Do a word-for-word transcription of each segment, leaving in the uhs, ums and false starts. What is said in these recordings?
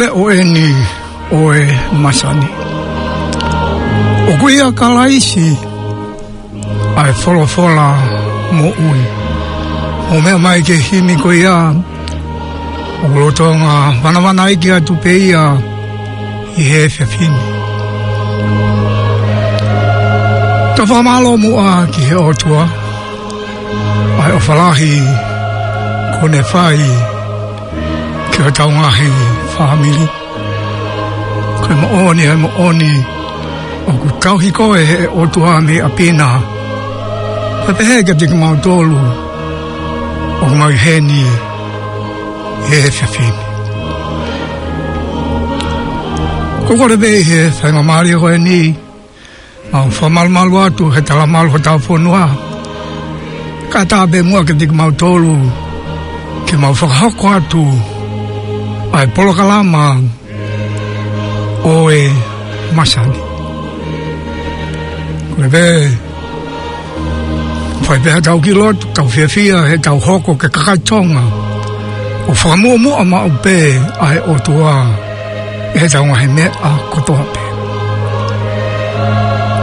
Leʻo eni ʻo e masani. ʻOku ʻia Kalaisi ʻa e folofola moʻui. ʻOku meʻa mai ki he himi ko ia, ʻoku lolotonga vanavanaiki atu pē ia ʻi he efiafi ni. Tau fakamālō muʻa ki he ʻOtua, ʻa e ʻofa lahi kuo ne fai ki hotau ngaahi fāmili. Ko e moʻoni, ʻa e moʻoni, ʻoku tauhi koe ʻe he ʻOtua mei ʻapi na. Pea pehē kiate kimautolu ʻoku mau ʻi heni he efiafi ni. Ko e kole pē ʻi he faingamālie ko eni, mau fakamalumalu atu he talamalu hotau fonua. Kae ʻatā pē muʻa kiate kimautolu ke mau fakahoko atu ʻa e polokalama ʻo e masani. Ko e pē, fai pē haʻatau kiʻi lotu, tau fiefia heʻetau hoko ko e kakai Tonga ʻoku fakamuʻomuʻa maʻu pē ʻa e ʻOtua ʻi heʻetau ngaahi meʻa kotoa pē.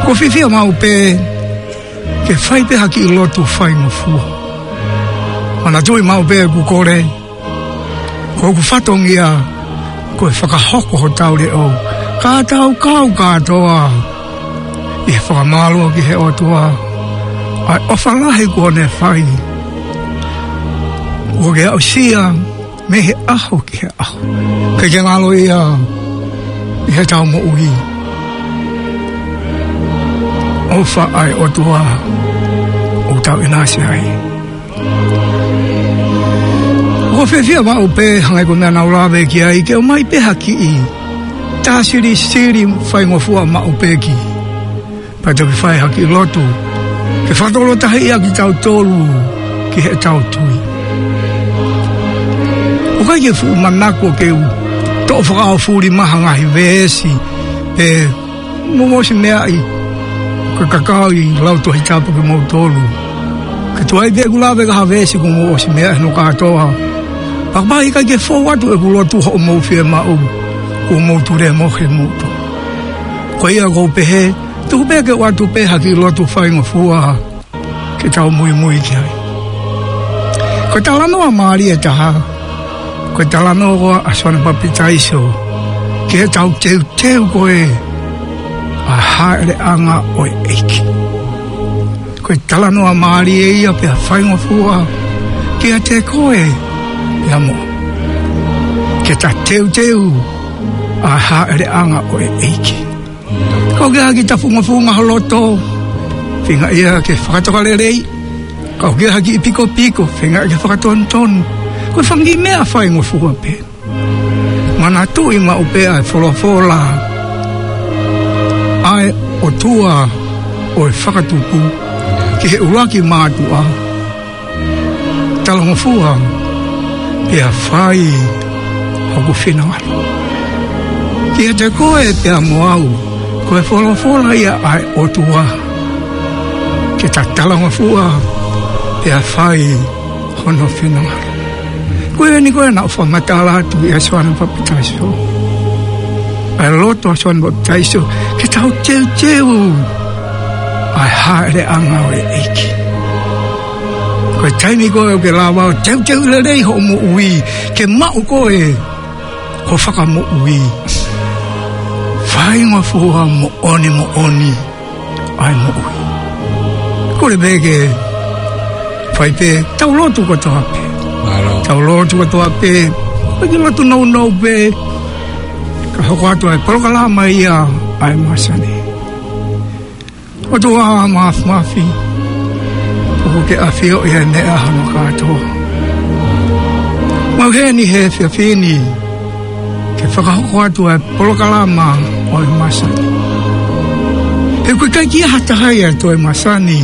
ʻOku ou fiefia maʻu pē ke fai pē ha kiʻi lotu faingofua. Manatuʻi maʻu pē ʻeku kole, ko hoku fatongia ko e fakahoko hotau leʻo, ka tau kau kātoa ʻi he fakamālō ki he ʻOtua ʻa e ʻofa lahi kuo ne fai. ʻOku ke aʻusia mei he ʻaho ki he ʻaho. ʻIkai ke ngalo ia ʻi heʻetau moʻui. ʻOfa ʻa e ʻOtua ʻoku tau ʻinasi ai. ʻOku ou fiefia maʻu pē, hangē ko e meʻa naʻá ku lave ki ai, ke ʻomai pē ha kiʻi tā silisili faingofua maʻu pē ki, pea toki fai ha kiʻi lotu ke fakatokolahi ʻa kitautolu ki heʻetau tui. ʻOku ʻikai ke fuʻu manako ke u toʻo fakaʻaufuli mai ha ngaahi veesi pe mo ʻosi meaʻi ko e kakai lau Tohi Tapu kimoutolu. Ka tuai pē ʻeku lave ki ha veesi kuo mou ʻosi meaʻi hono kātoa. Pea kapau ʻe ʻikai ke fou atu ʻeku lotu hoʻomou fiemaʻu, kuo mou tulemohe moutolu. Ko ia ʻoku ou pehē, tuku pē ke u ʻoatu pē ha kiʻi lotu faingofua ke tau muimui ki ai. Ko e talanoa mālie ʻe taha, ko e talanoa ʻa Soana Papitaiso ki heʻetau teuteu ko ē ʻa e hāʻeleʻanga ʻo e ʻEiki. Ko e talanoa mālie ia pea faingofua kiate koe pea mo au, ke ta teuteu ʻa e hāʻeleʻanga ʻo e ʻEiki. Kapau ʻoku ʻi ai ha kiʻi tafungofunga ho loto, feinga ia ke fakatokalelei. Kapau ʻoku ʻi ai ha kiʻi pikopiko, feinga ia ke fakatonutonu. Ko e fanga kiʻi meʻa faingofua pē. Manatuʻi maʻu pē ʻa e folofola ʻa e ʻOtua ʻo e fakatupu ki he ʻuluaki mātuʻa: Talangofua pea fai hoku finangalo. Kiate koe pea mo au, ko e folofola ia ʻa e ʻOtua, ke ta talangofua pea fai hono finangalo. Ko eni ko ē naʻe fakamatala atu ʻia Soana Papitaiso. ʻA e loto ʻa Soana Papitaiso, ke tau teuteu ʻa e hāʻeleʻanga ʻo e ʻEiki. Ko e taimi ko ē ʻoku ke lava ʻo teuteu lelei hoʻo moʻui ke maʻu koe ko e Fakamoʻui, faingofua moʻoni moʻoni ʻa e moʻui. Kole pē ke fai pē, tau lotu kotoa pē. Mālō. Tau lotu kotoa pē. Ko e kiʻi lotu nounou pē, kae hoko atu ʻa e polokalama ia ʻa e masani. ʻOtua Māfimafi, ʻoku ke ʻafioʻi ʻa e meʻa hono kātoa. Mau ʻi heni he efiafi ni ke fakahoko atu ʻa e polokalama ʻo e masani. He ʻoku ʻikai ke ʻi ai ha taha ia ʻi he toe masani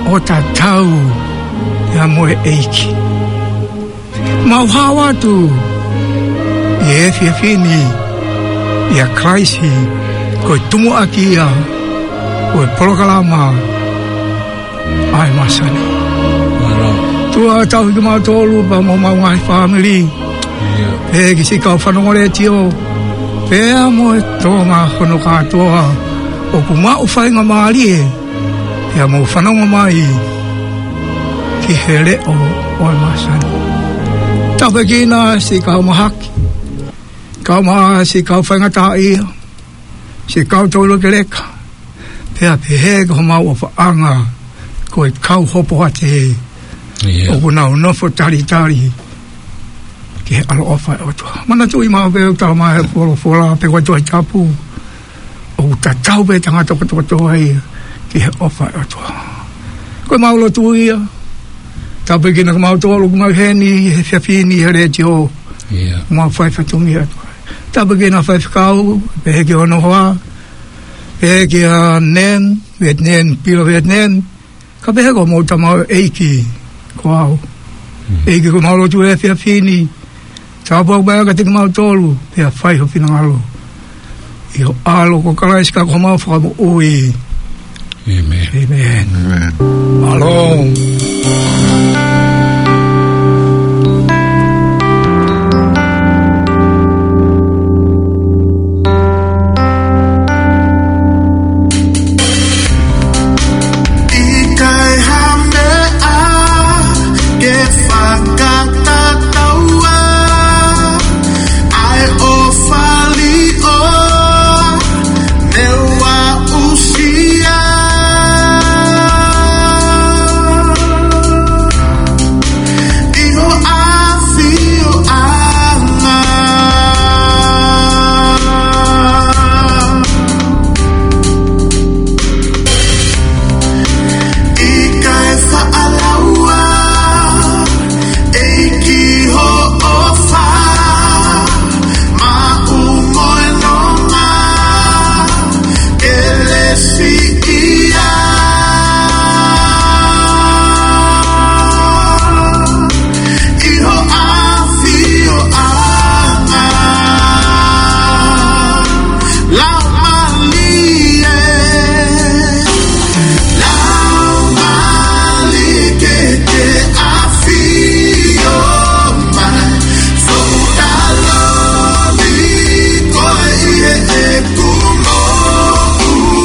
ʻo tatau ia mo e ʻEiki. Mau hao atu ʻi he efiafi ni ʻia Kalaisi, ko e tumuʻaki ia ʻo e polokalama ʻa e masani. Mālō. ʻOtua, tauhi kimautolu pea mo homau ngaahi fāmili. Pea ki siʻi kau fanongo letiō, pea mo e Tonga hono kātoa, ʻoku maʻu faingamālie, pea mou fanongo mai ki he leʻo ʻo e masani. Tāpuekina siʻi kau mahaki, kau ma-, siʻi kau faingataʻaʻia, siʻi kau toulekeleka, pea pehē ki homau ʻofaʻanga ko e kau hopoate, ʻoku nau nofo talitali ki he ʻaloʻofa ʻo e ʻOtua. Manatuʻi maʻu pē ʻoku talamai ʻe he folofola, pe ko e Tohi Tapu, ʻoku tatau pē tangata kotoa kotoa ia ki he ʻofa ʻo e ʻOtua. Ko ʻemau lotu ia, tāpuekina kimautolu ʻoku mau ʻi heni he efiafi ni he letiō, mau fai fatongia atu. Tāpuekina faifekau, pehē ki hono hoa, pehē kia Nan, Vietnam, Pila Vietnam, ka pehē ki homau tamaioʻeiki, ko au. ʻEiki, ko ʻemau lotu he efiafi ni, tāpuakiʻi mai kiate kimautolu, pea fai ho finangalo. ʻI ho ʻAlo ko Kalaisi ko homau Fakamoʻui. ʻĒmeni. ʻĒmeni. Mālō. ʻIkai ha meʻa ke fakatatau ai ʻa e ʻofa ʻo e ʻOtua, neongo ʻa e ʻusia ʻi ho ʻafioʻanga. ʻIkai faʻa lau ʻa e ʻEiki ho ʻofa, maʻu mo e nonga, kelesi ia ʻi ho ʻafioʻanga. Laumālie, Laumālie ke ke ʻafio mai, foʻu taloni koe ʻi heʻeku moʻui.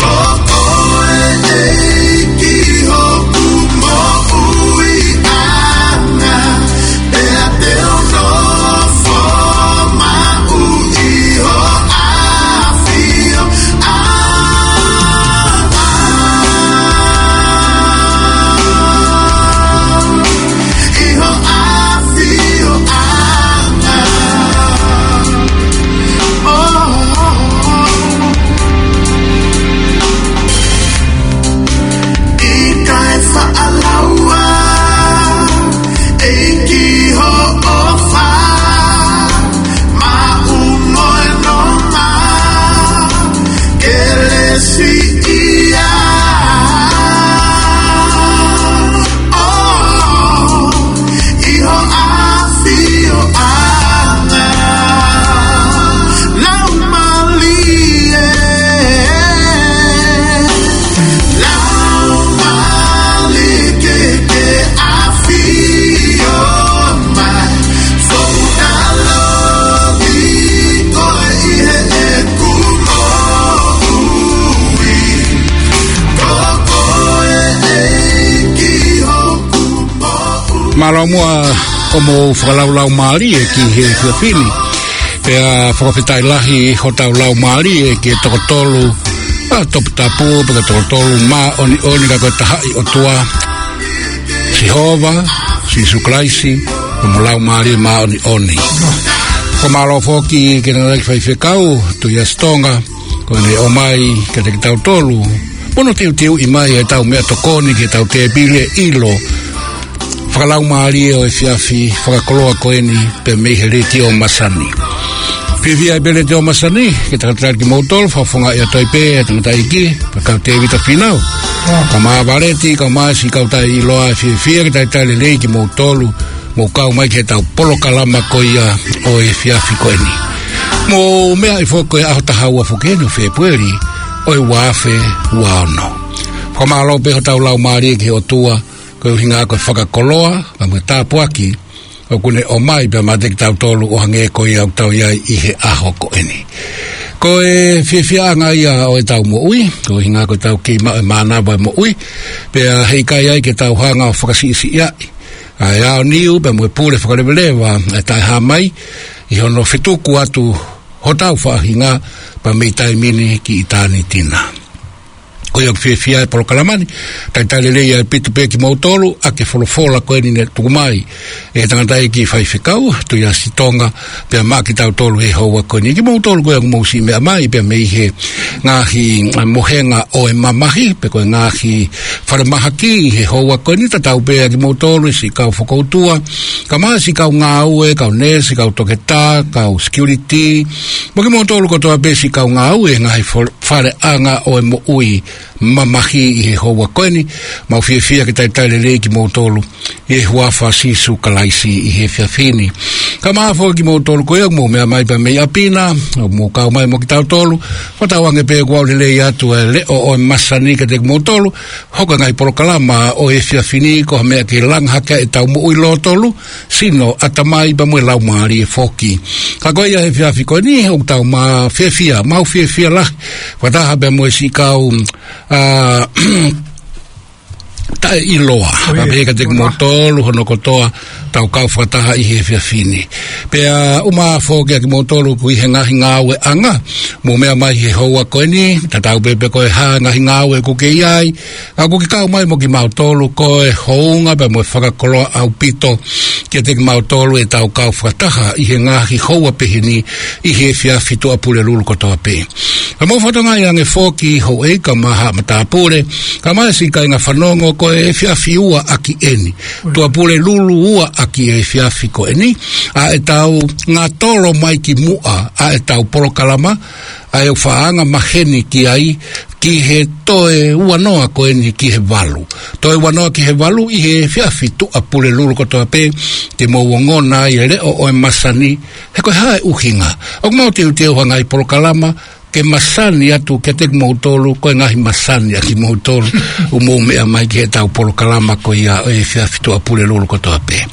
Ko koe ʻEiki hoku moʻuiʻanga, pea te u nofo maʻu ʻi ho ʻafioʻanga. ʻI ho ʻafioʻanga. ʻO, ʻikai faʻa lau ʻa e ʻEiki ho ʻofa, maʻu mo e nonga, kelesi ia ʻi ho ʻafioʻanga. Laumālie, Laumālie ke ke ʻafio mai, foʻu taloni koe ʻi heʻeku moʻui. Ko koe ʻEiki hoku moʻui. Mālō muʻa hoʻomou fakalaulaumalie ki he efiafi ni. Pea fakafetaʻi lahi hotau laumālie ki he toko tolu, ʻa, toputapu, pea ko e toko tolu māʻoniʻoni ka ko e tahaʻi ʻOtua, Sihova, Sīsū Kalaisi, mo e Laumālie Māʻoniʻoni. Ko e mālō foki ki he tangataʻeiki faifekau, Tuʻiasitonga, ko ʻene ʻomai kiate kitautolu, mo hono teuteuʻi mai ʻetau meʻatokoni ki heʻetau tēpile ʻilo fakalaumālie ʻo e efiafi fakakoloa ko eni pē mei he Letiō Masani. Fiefia pē Letiō Masani ke talitali kimoutolu, fakafofongaʻi atu ai pē ʻa e tangataʻeiki, pea ko Tēvita Fīnau. Kae ʻumaʻā Valeti, kae ʻumaʻā siʻi kau taʻeʻiloa, fiefia ke talitali lelei kimoutolu, mou kau mai ki heʻetau polokalama ko ia ʻo e efiafi ko eni. Mou meaʻi foki ko e ʻaho taha ua foki eni ʻo Fēpueli ʻo e ua afe ua ono. Fakamālō pē hotau laumālie ki he ʻOtua, ko e ʻuhinga ko e fakakoloa, pea mo e tāpuaki, ʻoku ne ʻomai pē maʻa kitautolu ʻo hangē ko ia ʻoku tau ʻi ai ʻi he ʻaho ko eni. Ko e fiefiaʻanga ia ʻo ʻetau moʻui, ko e ʻuhinga ko ʻetau kei maʻu e mānava ʻo e moʻui, pea heʻikai ai ke tau hanga ʻo fakasiʻisiʻi ai ʻa e aoniu pea mo e pule fakaleveleva ʻa e taʻehāmai ʻi hono fetuku atu hotau faʻahinga pea mei taimi ni ki ʻitāniti na. Ko ia ʻoku fiefia e polokalama ni, talitali lelei ʻaupito pē kimoutolu ʻaki e folofola ko eni ne tuku mai ʻe he tangataʻeiki faifekau, Tuʻiasi Tonga, pea maʻa kitautolu he houa ko eni. Kimoutolu ko ia ʻoku mou siʻi meʻa mai pea mei he ngaahi, ā, mohenga ʻo e mamahi, pe ko e ngaahi falemahaki ʻi he houa ko eni, tatau pē ʻa kimoutolu e siʻi kau fokoutua, kae ʻumaʻā e siʻi kau ngāue, kau neesi, kau toketā, kau security, mo kimoutolu kotoa pē siʻi kau ngāue he ngaahi fo-, faleʻanga ʻo e moʻui mamahi ʻi he houa ko eni. Mau fiefia ke talitali lelei kimoutolu ʻi he huafa ʻo Sīsū Kalaisi ʻi he efiafi ni. Kae ʻumaʻā foki kimoutolu ko ia ʻoku mou meʻa mai pea mei ʻapi na, ʻoku mou kau mai mo kitautolu, fakatauange pē kuo aʻu lelei atu e leʻo ʻo e masani kiate kimoutolu, hoko e ngaahi polokalama ʻo e efiafi ni ko ha meʻa ke langa hake ai ʻetau moʻui lōtolu, sino, ʻatamai pea mo e laumālie foki. Ka ko ia he efiafi ko eni, ʻoku tau mā fiefia, mau fiefia lahi fakataha pea mo e siʻi kau, ā, taʻeʻiloa. Pea pehē kiate kimoutolu hono kotoa ʻetau kau fakataha ʻi he efiafi ni. Pea ʻumaʻā foki ʻa kimoutolu ʻoku ʻi he ngaahi ngāueʻanga, mou meʻa mai he houa ko eni, tatau pē pe ko e hā e ngaahi ngāue ʻoku ke ʻi ai, ʻa ʻoku ke kau mai mo kimautolu, ko e hounga pea mo e fakakoloa ʻaupito kiate kimautolu ʻetau kau fakataha ʻi he ngaahi houa pehē ni ʻi he efiafi Tuʻapulelulu kotoa pē. Ka mou fakatokangaʻi ange foki houʻeiki kae ʻumaʻā haʻa matāpule, kae ʻumaʻā e siʻi kāinga fanongo, ko e efiafi ua ʻaki eni. Tuʻapulelulu ua ʻaki e efiafi ko eni, ʻa ʻetau ngatolo mai ki muʻa ʻa ʻetau polokalama, ʻa ia ʻoku faʻa anga maheni ki ai, ki he toe ua noa ko eni ki he valu. Toe ua noa ki he valu ʻi he efiafi Tuʻapulelulu kotoa pē, te mou ongona ai e leʻo ʻo e masani, he ko e hā e ʻuhinga. ʻOku mau teuteu ha ngaahi polokalama ke masani atu kiate kimoutolu, ko e ngaahi masani ʻa kimoutolu ʻoku mou meʻa mai ki heʻetau polokalama ko ia ʻo e efiafi Tuʻapulelulu kotoa pē.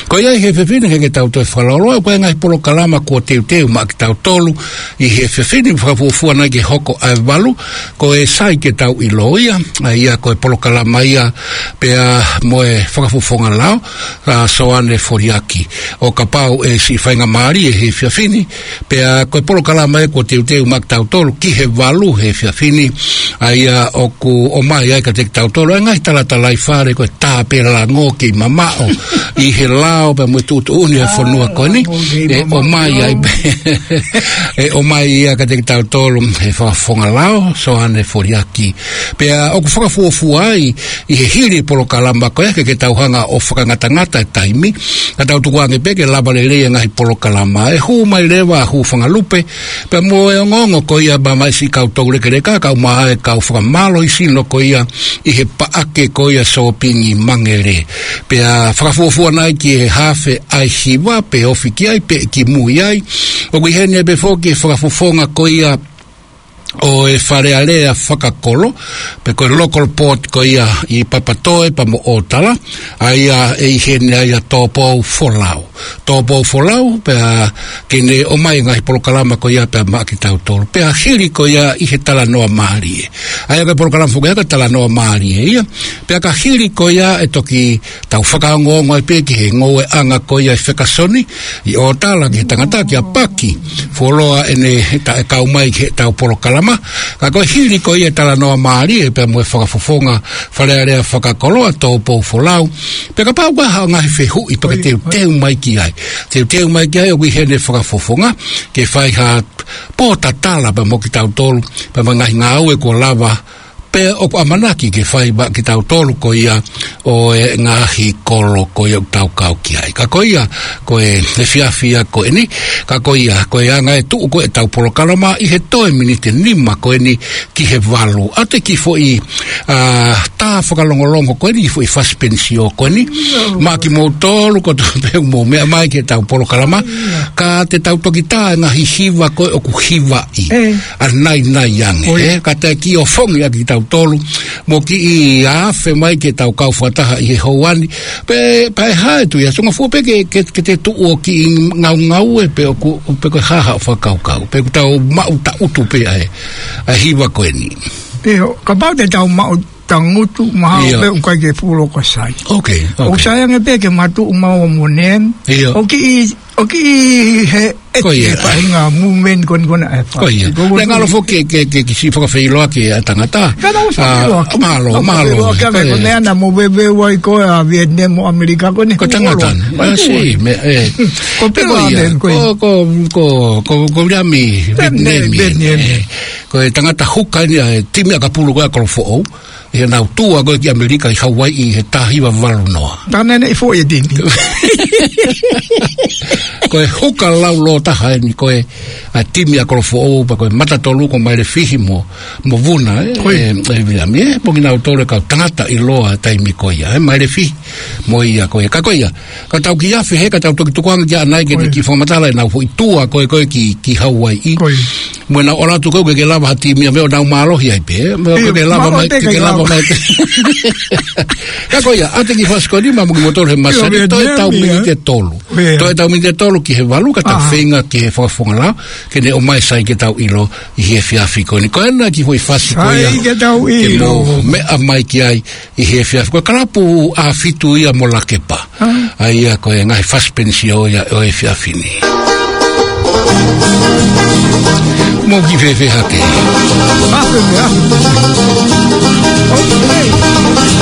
Ko ia ʻi he efiafi ni ke, ke tau toe fakalaulau, ko e ngaahi polokalama kuo teuteu maʻa kitautolu ʻi he efiafi ni, fakafuofua nai ke hoko ʻa e valu, ko e Sai Ke Tau ʻIlo Ia, ʻa ia ko e polokalama ia pea mo e fakafofonga lao, ʻa Soane Foliaki. ʻO kapau ʻe siʻi faingamālie he efiafi ni, pea ko e polokalama ia kuo teuteu maʻa kitautolu ki he valu he efiafi ni, ʻa ia ʻoku ʻomai ai kiate kitautolu ʻa e ngaahi talatalaifale, ko e tā pē lango kei mamaʻo ʻi he lao pea mo e tuʻutuʻuni ʻo e fonua ko eni, ʻe ʻomai ai pē, ʻe ʻomai ia kiate kitautolu he fakafofonga lao, Soane Foliaki. Pea ʻoku fakafuofua ai ʻi he hili polokalama ko ia ke, ke tau hanga ʻo fakangatangata e taimi, ka tau tukuange pē ke lava lelei e ngaahi polokalama, ʻe hū mai leva ʻa Hūfangalupe pea mo e ongoongo ko ia mamahi siʻi kau toulekeleka, kae ʻumaʻā e kau fakamālohisino ko ia ʻi he paʻake ko ia sōpingi Mangele. Pea fakafuofua nai ki he haafe ʻa e hiva pe ofi ki ai pe kimui ai, ʻoku ʻi heni pē foki e fakafofonga ko ia ʻo e Fale Alea Fakakolo, pe ko e local port ko ia ʻi Papatoe pea mo ʻŌtala, ʻa ia ʻe ʻi heni ai ʻa Tōpou Folau. Tōpou Folau, pea ke ne ʻomai e ngaahi polokalama ko ia pea maʻa kitautolu. Pea hili ko ia ʻi he talanoa mālie. ʻA ia ko e polokalama foki ia ko e talanoa mālie ia. Pea ka hili ko ia ʻe toki tau fakaongoongo ai pē ki he ngoueʻanga ko ia ʻi Fekasoni, ʻi ʻŌtala ki he tangata kia Paki Fuoloa ʻene taʻe kau mai ki heʻetau polokalama. Ka ko e hili ko ia e talanoa mālie pea mo e fakafofonga Fale Alea Fakakolo ʻa Tōpou Folau. Pea kapau ʻoku ʻi ai ha ngaahi fehuʻi pea ke teuteu mai ki ai. Teuteu mai ki ai ʻoku ʻi heni e fakafofonga ke fai ha pōtatala pea mo kitautolu, pea mo e ngaahi ngāue kuo lava pea ʻoku ʻamanaki ke fai maʻa kitautolu ko ia ʻo e ngaahi kolo ko ia ʻoku tau kau ki ai. Ka ko ia, ko e efiafi ia ko eni, ka ko ia, ko e anga e tuʻu ko ē ʻetau polokalama ʻi he toe miniti ʻe nima ko eni ki he valu. ʻA e kiʻi foʻi, ā, tā fakalongolongo ko eni, foʻi fasipenisio ko eni. Maʻa kimoutolu kotoa pē ʻoku mou meʻa mai ki heʻetau polokalama. Ka te tau toki tā e ngaahi hiva ko ē ʻoku hivaʻi ʻanainai ange, ʻe. Ka te kiʻi ofongi ʻaki kitautolu tolu, mo kiʻi afe mai ke tau kau fakataha ʻi he houa ni. Pea, pea ʻe hā e tui ʻa Tonga Fua pē ke, ke, ke te tuʻu ʻo kiʻi ngaungaue pe ʻoku, pe ko e hā haʻo fakakaukau. Pe ʻoku tau maʻu tangutu pē ʻa e, ʻa e hiva ko eni. ʻIo, kapau te tau maʻu tangutu, mahalo ʻIo. pē ʻoku ʻikai ke fuʻu loko sai. Ok, ok. ʻOku sai ange pē ke matuʻu maua mo Neem. ʻIo. ʻO kiʻi, ʻo kiʻi he Ko ia. ʻEke faʻahinga movement ko eni ko ena ʻe fai. Ko ia. Ko ia. Naʻe ngalo foki ke, ke, ke kiʻi fakafeʻiloaki ʻa e tangata. Ka naʻa ku fakafeʻiloaki. Ah, mālō, mālō. Fakafeʻiloaki ʻa e Ko ia. ko ena naʻa mou veiveiua ai ko ē ʻa Vietnam mo ʻAmelika ko eni. Ko e tangata. Ko Ah, sī, meʻa, ē. Ko Ko Pila ia. Ane, ko ia. Ko, ko, ko, ko, ko Viliami Vietnam, Vietnam, Vietnam. ē. Ko e tangata huka eni ʻa e timi ʻakapulu ko ē ʻa Kolofoʻou. ʻI heʻenau tour ko ē ki ʻAmelika ʻi Hauaiʻi he taha hiva valu noa. Tana ne i foʻi e timi. Ko e huka laulōtaha eni ko ē ʻa e timi ʻa Kolofoʻou pea ko e mata tolu ko Mailefihi mo, mo Vuna, ē, Ko ia. ē, ē, Viliami, ē, mo kinautolu e kau tangata ʻiloa taimi ko ia, ē, Mailefihi mo ia ko ē. Ka ko ia, ka tau kiʻi afe he, ka tau toki tukuange ki ʻanai ke Ko ia. kiʻi fakamatala ʻenau foʻi tour ko ē ko ē ki, ki Hauaiʻi. Ko ia. Mo ʻenau ʻalu atu ko ē ke, ke lava ha timi ia meʻa ʻo nau mālohi ai pē. Meʻa ʻIo, ke, ke lava mālohi mai, pē ke, ke kai lava lava. mai. Ka ko ia, ʻa e kiʻi fasi ko eni mo kimoutolu he masani, ʻIo, toe tau Vietnam, ia. miniti ʻe tolu. ʻIo. Toe tau miniti ʻe tolu ki he valu, ka tau Ah. feinga ki he fakafofonga lao, ke ne ʻomai sai ke tau ʻilo ʻi he efiafi ko eni. Ko ena kiʻi foʻi fasi ko ia. Sai ke tau Ke ʻilo. mou meʻa mai ki ai ʻi he efiafi. Ko e kalapu ʻa Fitu ia mo Lakepa. Ah. ʻA ia ko e ngaahi fasi penisio ia ʻo e efiafi ni. Mou kiʻi fēfē hake. Afe meʻa. Okay.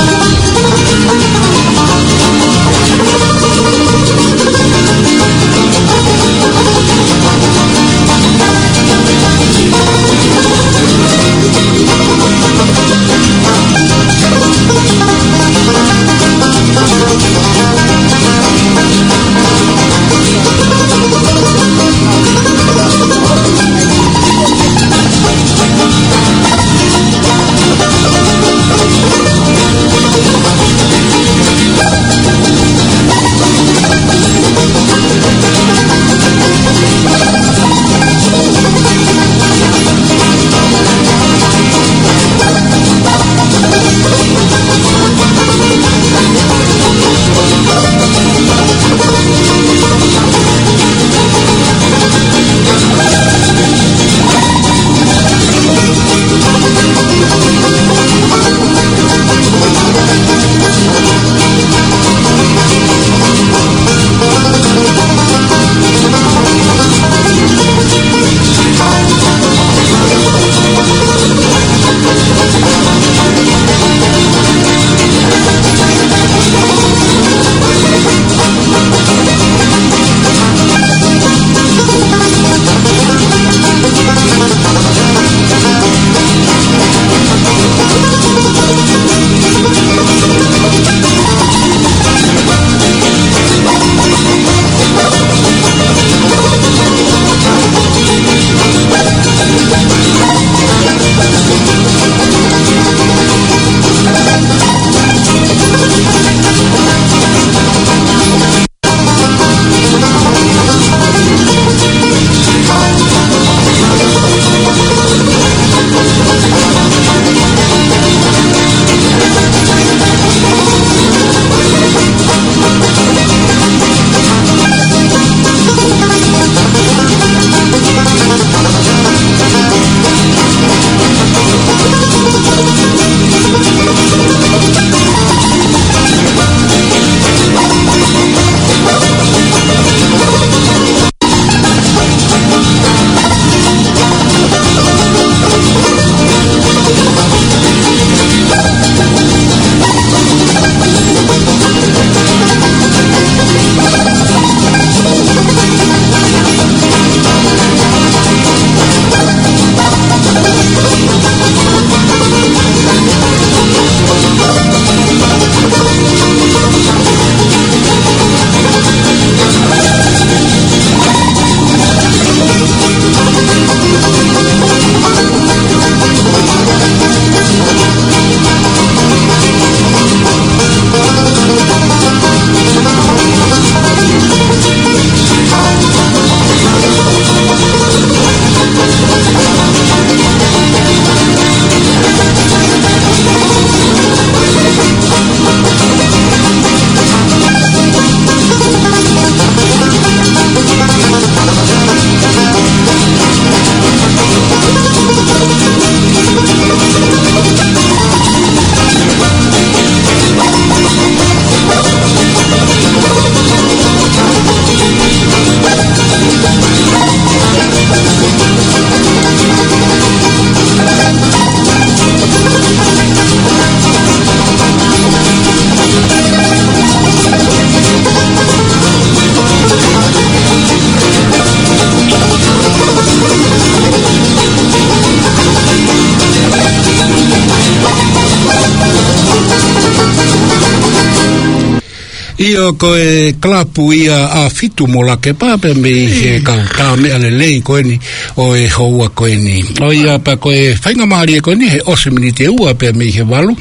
ʻIo, ko e kalapu ia ʻa Fitu mo Lakepa pea mei he kau tā meʻa lelei ko eni ʻo e houa ko eni. ʻIo, pea ko e faingamālie ko eni he ʻosi miniti ʻe ua pea mei he valu.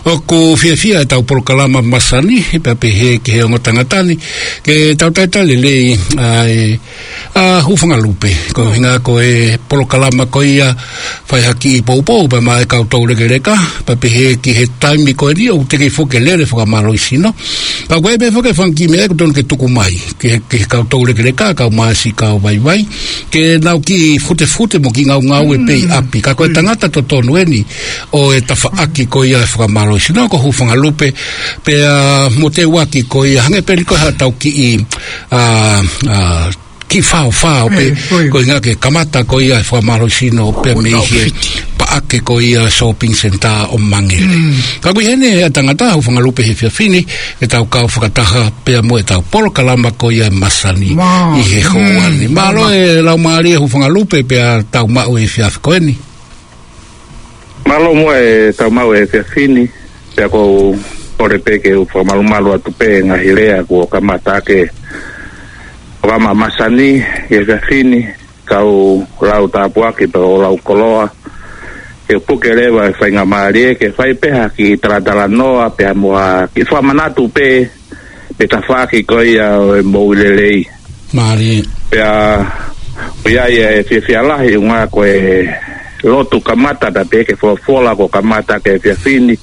ʻOku fiefia ʻetau polokalama masani, pea pehē ki he ongo tangata ni, ke tau talitali lelei ʻa e ʻa Hūfangalupe, ko e ʻuhinga ko e polokalama ko ia fai ha kiʻi poupou pea maʻa e kau toulekeleka, pea pehē ki he taimi ko eni ʻoku teʻeki foki ke lele fakamālohisino. Ka ko e pē foki e fanga kiʻi meʻa ʻoku totonu ke tuku mai, ki he, ki he kau toulekeleka, kau māsi, kau vaivai, ke nau kiʻi futefute mo kiʻi ngaungaue pē ʻi ʻapi. Ka ko e tangata totonu eni ʻo e tafaʻaki ko ia e fakamālohisino ko Hūfangalupe, pea mo Teuaki ko ia, hangē pē ni ko haʻatau kiʻi, ʻa, ʻa, kiʻi faofao pē, ko e ʻuhinga ke kamata ko ia e fakamālohisino pea mei he paʻake ko ia shopping centre ʻo Mangere. Ka ko e heni ʻa e tangata Hūfangalupe he efiafi ni, ke tau kau fakataha pea mo ʻetau polokalama ko ia e masani ʻi he houa ni. Mālō e laumālie Hūfangalupe pea tau maʻu e efiafi ko eni. Mālō muʻa e tau maʻu e efiafi ni, pea ʻoku ou kole pē ke u fakamalumalu atu pē ngaahi lea kuo kamata ke fakamamasani e efiafi ni, kau lau tāpuaki pea ʻo lau koloa, ke puke leva e faingamālie, ke fai pē ha kiʻi talatalanoa, pea mo ha kiʻi fakamanatu pē, pe tafaʻaki ko ia ʻo e moʻui lelei. Mālie. Pea, ʻoku ʻi ai e fiefia lahi ʻuhinga ko e lotu kamata pea pehē ki he folofola kuo kamata ki he efiafi ni.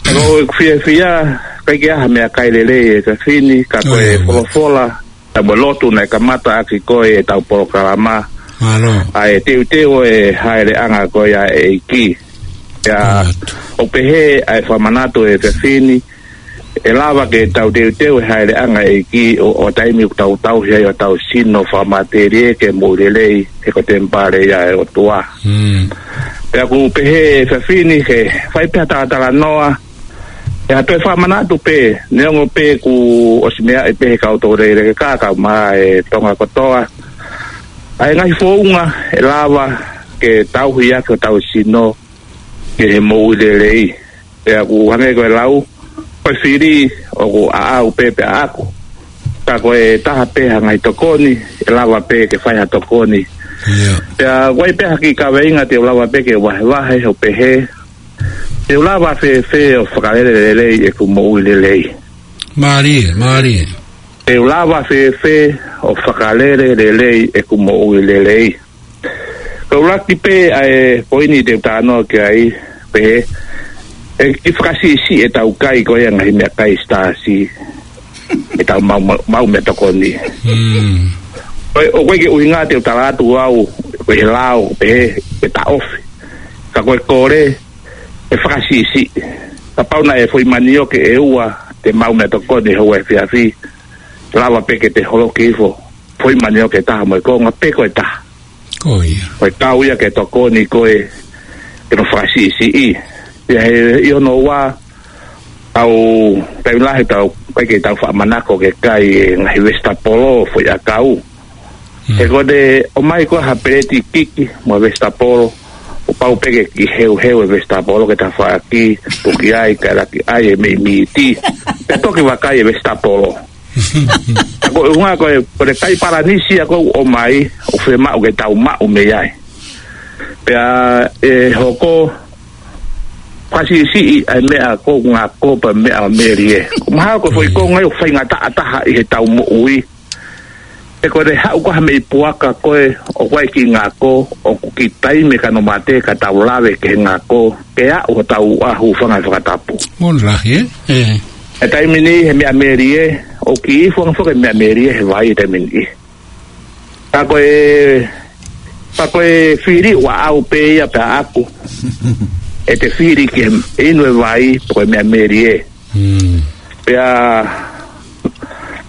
Ka ko e fiefia, ʻikai ke ʻi ai ha meʻakai lelei he efiafi ni, ka ko e folofola, pea mo e lotu naʻe kamata ʻaki ko ē ʻetau polokalama. Mālō. ʻA e teuteu e hāʻeleʻanga ko ia ʻa e ʻEiki. Pea, ʻoku pehē ʻa e fakamanatu he efiafi ni, ʻe lava ke tau teuteu e hāʻeleʻanga ʻa e ʻEiki ʻo, ʻo taimi ʻoku tau tauhi ai hotau sino fakamatelie ki he moʻui lelei he ko e temipale ia ʻo e ʻOtua. Pea ʻoku pehē he efiafi ni ke fai pē ha talatalanoa, ʻe ha toe fakamanatu pē, neongo pē kuo ʻosi meaʻi pē he kau toulekeleka, kau mai e Tonga kotoa. ʻA e ngaahi founga ʻe lava ke tauhi ʻaki hotau sino ki he moʻui lelei. Pea ʻoku hangē ko e lau, ko e fili ʻoku ʻaʻau pē pea ʻaʻaku. Ka ko e taha pē ha ngaahi tokoni, ʻe lava pē ke fai ha tokoni. Pea ʻoku ʻi ai pē ha kiʻi kaveinga te u lava pē ke vahevahe ʻo pehē, te u lava fēfē ʻo fakalele lelei ʻeku moʻui lelei. Mālie, mālie. Te u lava fēfē ʻo fakalele lelei ʻeku moʻui lelei. Ka ʻoku ʻuluaki pē ʻa e poini te u talanoa ki ai, pehē, ʻe kiʻi fakasiʻisiʻi ʻetau kai ko ia ngaahi meʻakai sitaasi, ʻetau maʻu, maʻu, maʻu meʻatokoni. ʻOku ʻikai ke ʻuhinga te u tala atu au, ko e lao, pehē, ʻe taʻofi. Ka ko e kole, ʻe fakasiʻisiʻi. Kapau naʻe foʻi manioke ʻe ua te maʻu meʻatokoni he ʻaho efiafi, lava pē ke te holoki hifo foʻi manioke ʻe taha mo e konga pē ko e taha. Ko ia. Ko e kau ia ke tokoni koe ke nau fakasiʻisiʻi. Pea he ʻi hono ua, ʻoku taimi lahi ʻoku tau, ʻikai ke tau faʻa manako ke kai e ngaahi vesitapolo foʻi ʻakau. He ko ʻete ʻomai ko ē ha peleti kiki mo e vesitapolo, ʻoku pau pē ke kiʻi heuheu e vesitapolo ke tafaʻaki, puki ai, kae laki ai e meʻi miti. Pea toki vakai e vesitapolo. Ka ko e ʻuhinga ko e, ko e kai palanisi ʻoku ʻomai, ʻoku fiemaʻu ke tau maʻu mei ai. Pea ʻe hoko, fakasiʻisiʻi ʻa e meʻa ko e ngako pea meʻa melie. Mahalo ko e foʻi konga ia ʻoku faingataʻa taha ʻi heʻetau moʻui. He ko e haʻu ko ē ha meʻi puaka ko ē ʻoku ʻi ai e kiʻi ngako, ʻoku kiʻi taimi ka nau mate ka tau lave ki he ngako, ke aʻu hotau ʻahu fanga fakatapu. Moʻoni lahi, ē? ʻE. ʻI he taimi ni he meʻa melie, ʻoku kiʻi ifo ange foki e meʻa melie he vai he taimi ni. Ka ko e, ka ko e fili ʻoku ʻaʻau pē ia pea ʻaʻaku. ʻE te fili ke inu e vai, ko e meʻa melie. Pea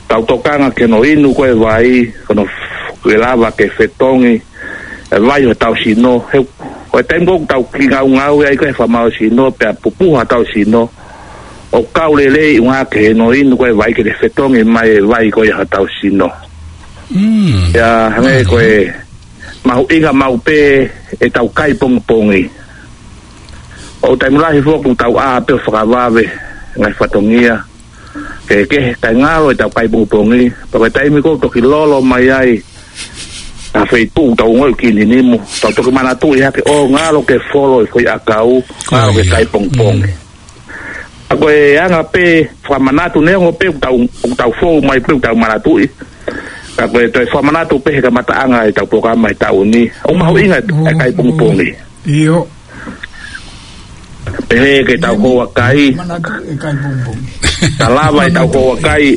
tau tokanga ki hono inu ko ē vai, ko hono f-, ke lava ke fetongi e vai hotau sino. He, ko e taimi ko ē ʻoku tau kiʻi ngaungaue ai ko ē he fakamālohisino, pea pupuha hotau sino, ʻoku kau lelei ʻuhinga ki hono inu ko ē vai ke te fetongi mai e vai ko ē hotau sino. Pea hangē ko e mahuʻinga maʻu pē ʻetau kai pongipongi. ʻOku taimi lahi foki ʻoku tau ʻā pē ʻo fakavave ngaahi fatongia. kehekehe, kae ngalo ʻetau kai pongipongi. Pea ko e taimi ko ē ʻoku toki lolo mai ai ha feituʻu ʻoku tau ongoʻi ʻoku kininimu, tau toki manatuʻi hake ʻo ngalo ke folo e foʻi ʻakau, ngalo ke kai pongipongi. Pea ko e anga pē fakamanatu, neongo pē ʻoku tau, ʻoku tau fou mai pē ʻoku tau manatuʻi, ka ko e toe fakamanatu pē he kamataʻanga ʻetau polokalama he taʻu ni, ʻoku mahuʻinga e kai pongipongi. ʻIo. Pehē ke tau houa kai. Manatu e kai pongipongi. Ka lava ʻetau houa kai.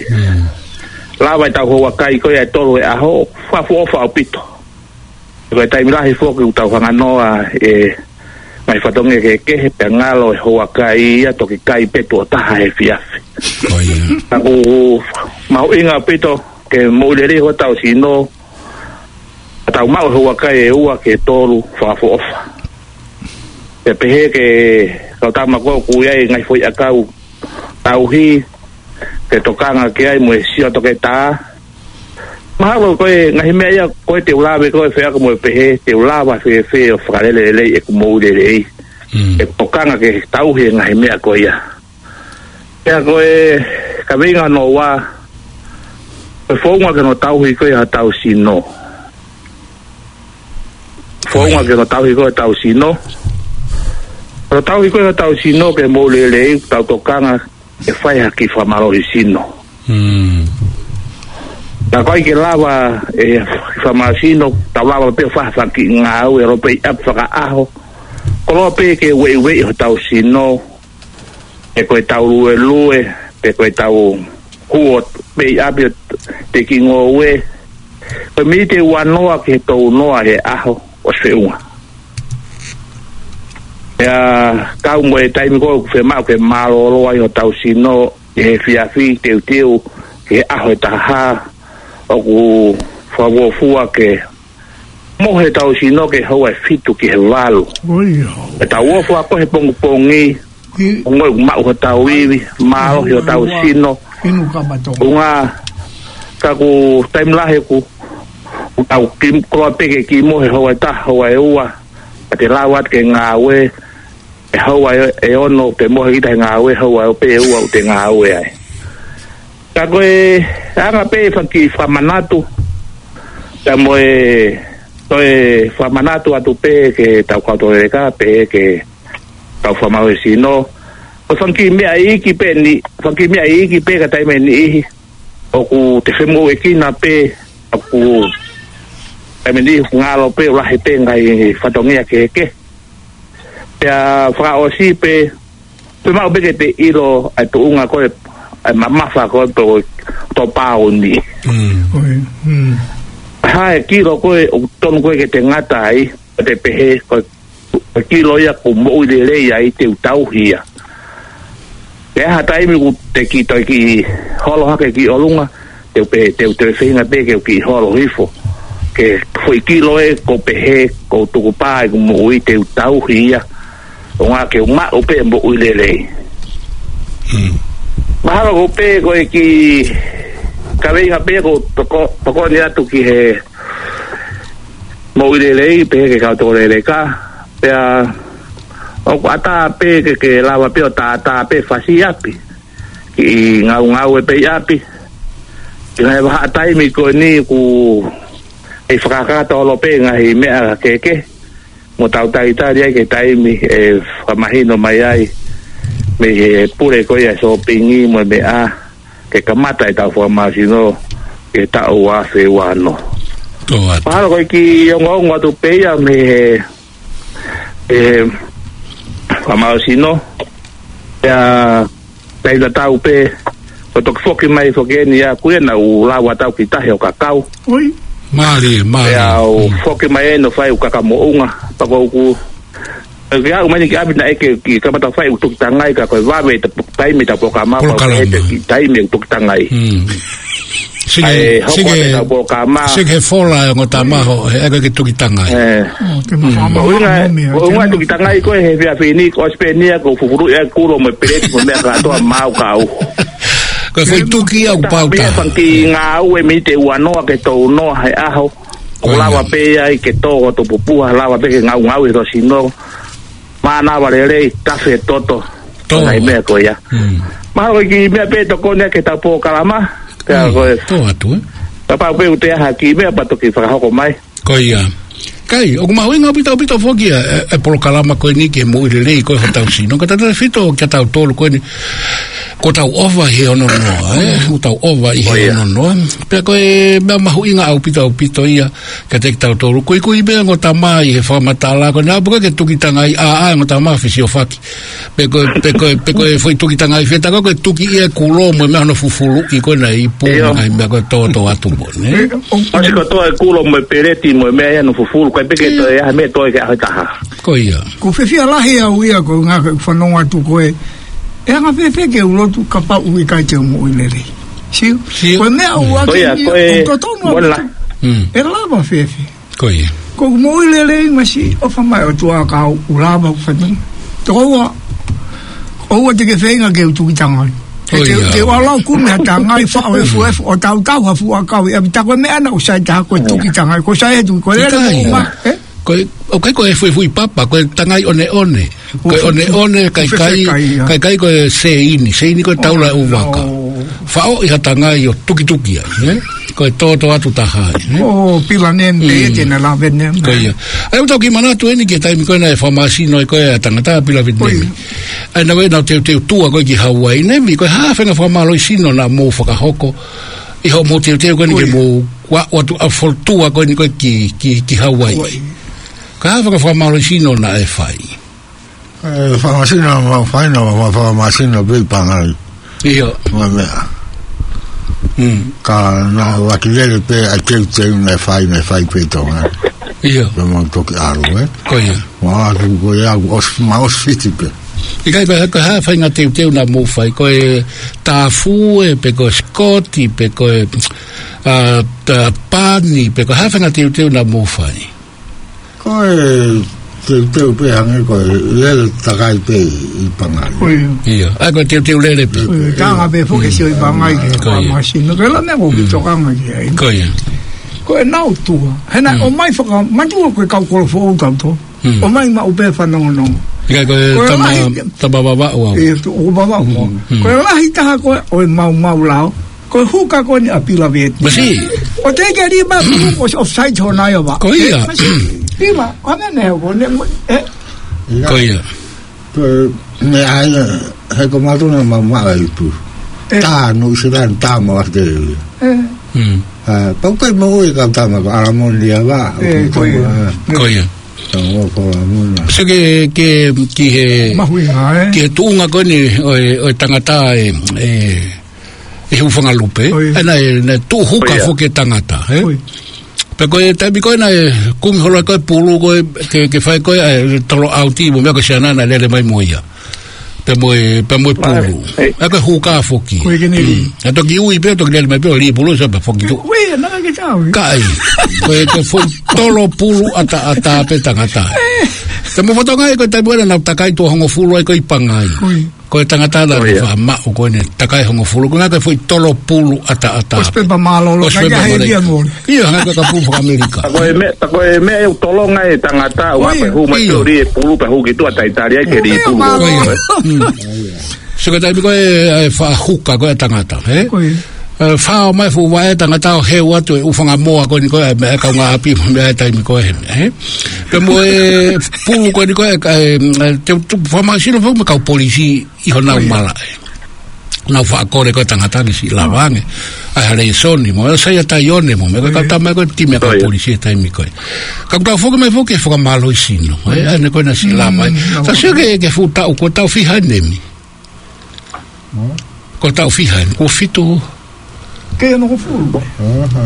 Lava ʻetau houa kai ko ia ʻe tolu he ʻaho, fakaʻofoʻofa ʻaupito. Ko e taimi lahi foki ʻoku tau hanganoa e ngaahi fatongia kehekehe pea ngalo e houa kai ia toki kai pē tuʻo taha he efiafi. Ka ʻoku mahuʻinga ʻaupito ke moʻui lelei hotau sino, ka tau maʻu e houa kai ʻe ua ki he tolu fakaʻofoʻofa. Pea pehē ki he kau tama ko ē ʻoku ʻi ai e ngaahi foʻi ʻakau tauhi, ke tokanga ki ai mo e sio toketā. Mahalo ko e ngaahi meʻa ia ko ē te u lave ko ē feʻaku mo e pehē, te u lava fēfē ʻo fakalele lelei ʻeku moʻui lelei. ʻE tokanga ke tauhi e ngaahi meʻa ko ia. Pea ko e kaveinga hono ua, ko e founga ke nau tauhi ko ē hotau sino. Founga ke nau tauhi ko ē hotau sino. Nau tauhi ko ē hotau sino ke moʻui lelei, tau tokanga ke fai ha kiʻi fakamālohi sino. Ka ʻoku ʻikai ke lava e fakamālohi sino, tau lava pē ʻo fai ha fanga kiʻi ngāue ʻe lōpei ʻapi fakaʻaho. Koloa pē ke ueʻiueʻi hotau sino, pe ko ʻetau luelue, pe ko ʻetau huo pē ʻi ʻapi ʻo teʻeki ngoue. Ko e miniti ʻe uanoa ki he tolunoa he ʻaho ʻosi feʻunga. Pea kau mo e taimi ko ē ʻoku fiemaʻu ke mālōlō ai hotau sino ʻi he efiafi teuteu ki he ʻaho ʻe taha, ʻoku fakafuofua ke mohe hotau sino ke houa ʻe fitu ki he valu. ʻEtau ʻofa ko ē he pongipongi, ʻoku maʻu hotau ivi, mālohi hotau sino. ʻUhinga, ka ʻoku taimi lahi ʻoku, ʻoku tau kiʻi, koloa pē ke kiʻi mohe houa ʻe taha, houa ʻe ua, ka te lava atu ke ngāue, ʻe houa ʻe, ʻe ono, te mohe kita he ngāue, houa ʻe pē ʻe ua ʻoku te ngāue ai. Ka ko e anga pē fanga kiʻi fakamanatu, pea mo e, toe fakamanatu atu pē ki heʻetau kau tokoni lelei ka pehē ki he kau fakamālohi sino. Ko e fanga kiʻi meʻa iiki pē eni, fanga kiʻi meʻa iiki pē ka taimi ʻe niʻihi ʻoku te femoʻuekina pē, ʻoku taimi ʻe niʻihi ʻoku ngalo pē ʻo lahi pē ngaahi fatongia kehekehe. Pea fakaʻosi pē, fiemaʻu pē ke te ʻilo ʻa e tuʻunga ko ē, ʻa e mamafa ko ē pe ko e tō pāuni. Hā e kilo ko ē ʻoku tonu ko ē ke te ngata ai, ʻo te pehē ko e, ko e kilo ia ʻoku moʻui lelei ai te u tauhi ia. Pea ha taimi ʻoku te kiʻi toe kiʻi holo hake ki ʻolunga, te u pehē, te u toe feinga pē ke u kiʻi holo hifo. Ke foʻi kilo ē ʻoku pehē, ʻoku tukupā ʻeku moʻui te u tauhi ia. ʻUhinga ke u maʻu pē moʻui lelei. Mahalo ko pē ko e kiʻi kaveinga pē ʻoku toko, tokoni atu ki he moʻui lelei, pehē ki he kau tokoni lelei ka. Pea ʻoku ʻatā pē ke, ke lava pē ʻo tātā pē fasi ʻapi. Kiʻi ngaungaue pē ʻi ʻapi. Ki he ngaahi vahaʻa taimi ko eni ʻoku ʻi ai fakakakato holo pē ngaahi meʻa kehekehe. Mo tau talitali ai ki he taimi ʻe fakamahino mai ai mei he pule ko ia sōpingi mo e meʻa ke kamata ʻetau fakamālohi sino ki he taʻu ua afe ua ono. Mahalo ko e kiʻi ongoongo atu pē ia mei he, he fakamālohi sino. Pea tau tatau pē, ko e toki foki mai foki eni ia, ko ia naʻa ku lava atu au ki tahi ʻo kakau. Mālie, mālie. Pea u foki mai eni ʻo fai ʻeku kaka moʻunga, pea ko ʻeku, ke aʻu mai eni ki ʻapi naʻe ʻikai ke u kamata fai ʻeku tukitangai ka ko e vave ʻetau taimi ʻetau polokalama, pea u pehē ʻeku taimi ʻeku tukitangai. Sike, ʻa e hoko atu ʻetau polokalama. Sike he fola e ongo tama ho, he ʻikai ke tukitangai. Ko e ʻuhinga, ko e ʻuhinga tukitangai ko ē he efiafi ni, ko e spenia, ko e fufulu ia kulo mo e peleti mo e meʻa kātoa maʻu kau. Ko e foʻi tuki ia ʻoku pau taha. Pea fanga kiʻi ngāue miniti ʻe uanoa ki he tolunoa he ʻaho. ʻOku lava pē ia ke tō hoto pupuha, lava pē ke ngaungaue hoto sino. Mānava lelei, tafe toto. Tō. Ko e ngaahi meʻa ko ia. Mm. Mahalo ko e kiʻi meʻa pē tokoni ʻa e ke tau polokalama. Pea Mm. ko e Tō atu, ē? Kapau pē ʻoku toe ʻi ai ha kiʻi meʻa pea toki fakahoko mai. Ko ia. Kae, ʻoku mahuʻinga ʻaupito, ʻaupito foki ʻa e, e polokalama ko eni ki he moʻui lelei ko ē hotau sino. Ka tautautefito kia tautolu ko eni. Kuo tau ʻova ʻi he ono noa, ē? Kuo tau ʻova ʻi Ko he ia. ono noa. Pea ko e meʻa mahuʻinga ʻaupito, ʻaupito ia kiate kitautolu. Kuikui pē ongo tama ʻi he fakamatala ko eni. ʻAlu pē ke tuki tangai ʻa, ʻa ongo tama fesiofaki. Pe ko e, pe ko e, pe ko e foʻi tuki tangai feta ko e tuki ia e kulo mo e meʻa hono fufuluʻi ko ena ʻi pū Io. mo e ngaahi meʻa ko e tōtō atu mo, nē? ʻOsi kotoa e kulo mo e peleti mo e meʻa ia hono fufulu, kae peke Io. toe ʻi ai ha meʻa toe ke ʻaho ʻe taha. Ko ia. Ko e fiefia lahi au ia ko e ngaahi fanongo atu ko e. ʻE anga fēfē ke u lotu kapau ʻoku ʻikai te u moʻui lelei. Sio? Sio. Ko e meʻa ʻoku Ko ʻaki ia, ni, ko e ʻoku totonu ʻa mola. Mm. ʻE lava fēfē. Ko ia. Ko e moʻui lelei masi, ʻofa mai ʻOtua ka u lava ʻo fai mai. Tokoua, ʻoua te ke feinga ke u tuki tangai. Ko Te, ia. te u ʻalu ʻo kumi ha tangai, faʻo e fuefu, ʻo tautau ha fuʻu ʻakau, ʻe ʻapi ta ko e meʻa naʻa ku sai taha ko e tuki tangai, ko sai e tuki, ko e lele Ikaia. mo ma, ē? Ko e, ʻoku ʻikai ko e fuefuʻi papa, ko e tangai ʻoneʻone. Ko e ʻoneʻone, Ko e kaikai, kaikai, ia. kaikai ko e seini, seini ko e taula ʻo e ʻū vaka. Oh. Faʻo ʻi ha tangai ʻo tukituki ai, ē? Ko e tōtō atu taha ai, ē? Oh, pila nem, Mm. te, te na la venem. Ko ia. ʻA ia ʻoku tau kiʻi manatu eni ki he taimi ko ē naʻe fakamāsino ai ko ē ʻa e tangata pila Ko ia. Vietnam. ʻA ia naʻe, naʻe teuteu tua ko ē ki Hawaii, Nevi, ko e hā ha faʻahinga fakamālohisino naʻa mou fakahoko ʻi hoʻomou teuteu ko eni Ko ke ia. mou ʻalu atu ʻo folotua ko eni ko ē ki, ki, ki Hawaii. Hawaii. Ko e hā ha faʻahinga fakamālohisino naʻe fai? E, fakamāsino, ma, fai na, ma, fakamāsino pē ʻi Pangai. ʻIo. Mo e meʻa. Mm. Ka naʻe ʻuluaki lele pē ʻa e teuteu naʻe fai, naʻe fai pē ʻi Tonga. ʻIo. Pea mau toki ʻalu, ē? Ko ia. Ma atu ko ia, ʻosi, ma ʻosi fiti pē. ʻIkai ko e, ko e hā ha faʻahinga teuteu naʻa mou fai, ko e tāfue, pe ko e sikoti, pe ko e, a, ta-, pani, pe ko e hā ha faʻahinga teuteu naʻa mou fai? Ko e teuteu pē hangē ko e lele takai pē ʻi Pangai. Ko ia. ʻIo. ʻA ia ko e teuteu lele pē. Ko ia, tanga pē foki Mm. sio ʻi Pangai ke Ko ia. fakamāsino. Ko e la meʻa ko ki Mm. tokanga ki ai. Ko ia. Ko e nau tua. He naʻe Mm. ʻomai faka-, matua ko e kau kolo foʻou tau tō. Mm. ʻOmai maʻu pē fanongonongo. ʻIkai ko e Ko e tama, lahi tama vavaʻu au. E, tu, ʻo vavaʻu mo. Mm. Ko e lahi taha ko ē ʻo e maumau lao. Ko e huka ko eni ʻa pila Vietnam. Masi. ʻO te ke lima pulu ko offside ho nai ova. Ko ia. E, masi. Pila, ko ʻene ne ko ne, e. Ko ia. Ko e meʻa ia, he ko mātou naʻa mau maʻu ai pulu. E. Tā, no, ʻi se tā, tā mau ake. E. Mm. A, pau kai mau e kau tama ko Alamoni ia va. E, ko ia. Ko ia. Tama ko Alamoni. So ke, ke, ki he, Mahuʻinga, e. ki he tuʻunga ko eni ʻo e, ʻo e tangata e, e, e hūfanga lupe. Ko ia. E naʻe, naʻe tuʻu huka Ko ia. foki e tangata, e? Ko ia. Pea ko e taimi ko ē naʻe kumi holo ai ko e pulu ko ē ke, ke fai ko ē, e, tolo ʻauti mo e meʻa ko e siana naʻe lele mai mo ia. Pea mo e, pea mo e pulu. Ai, ai. ʻA ia ko e huka foki. Ko e kene Mm. ʻA ia toki ui pē, toki lele mai pē, ʻo lī pulu, sa pea foki tu. Ui, naʻa ke tau. Kai. Ko e, ko e foʻi tolo pulu ʻataʻatā pē tangata. Te mo fotonga e ko e taimi ko ē naʻa nau takai tuʻo hongofulu ai ko ē ʻi Pangai. Ui. Ko e tangata naʻa Ko ia. faʻa maʻu ko eni takai hongofulu, ko e ngaahi foʻi tolo pulu ʻataʻatā. ʻOsi pē pea mālōlō, ʻOsi pē ngaahi pea mālōlō. Heli a mole. ʻIo, ngaahi ka pulu fakamelika. Ka ko e meʻa, ka ko e meʻa ʻoku tolonga e tangata, ʻo Ko ia. pea hū mai ʻIo. tori e pulu, pea hū ki tuʻa taitali ai ke Ko lī ia pulu. mālōlō. Ko ia. Mm. So ko e taimi ko ē, e faʻa huka ko ē tangata, e? Ko ia. E, fao mai fuʻu vaʻe tangata ʻo heu atu e ʻū fanga moa ko eni ko ē, e, e kaungāʻapi, meʻa e taimi ko ē, e? Pea mo e pulu ko eni ko ē, e, e, te, te, fakamāsino fau mo e kau polisi ʻi honau Ko ia. malaʻe. Nau faʻa kole ko e tangata ke siʻi lava ange. ʻA e ha lēsoni mo, sai a taione mo, meʻa ko e Ko ia. kau tama ko e timi ʻa e kau Ko ia. polisi e taimi ko ē. Ka ʻoku tau foki mai foki e fakamālohisino, e, ʻa ē ko ē naʻa siʻi lava, e. Mm, Ka sio ke, ke fuʻu taʻu, ko e taʻu fiha eni Nemi. Hmm? Ko e taʻu fiha eni, ko e fitu. Ke ano ko fulu. Aha,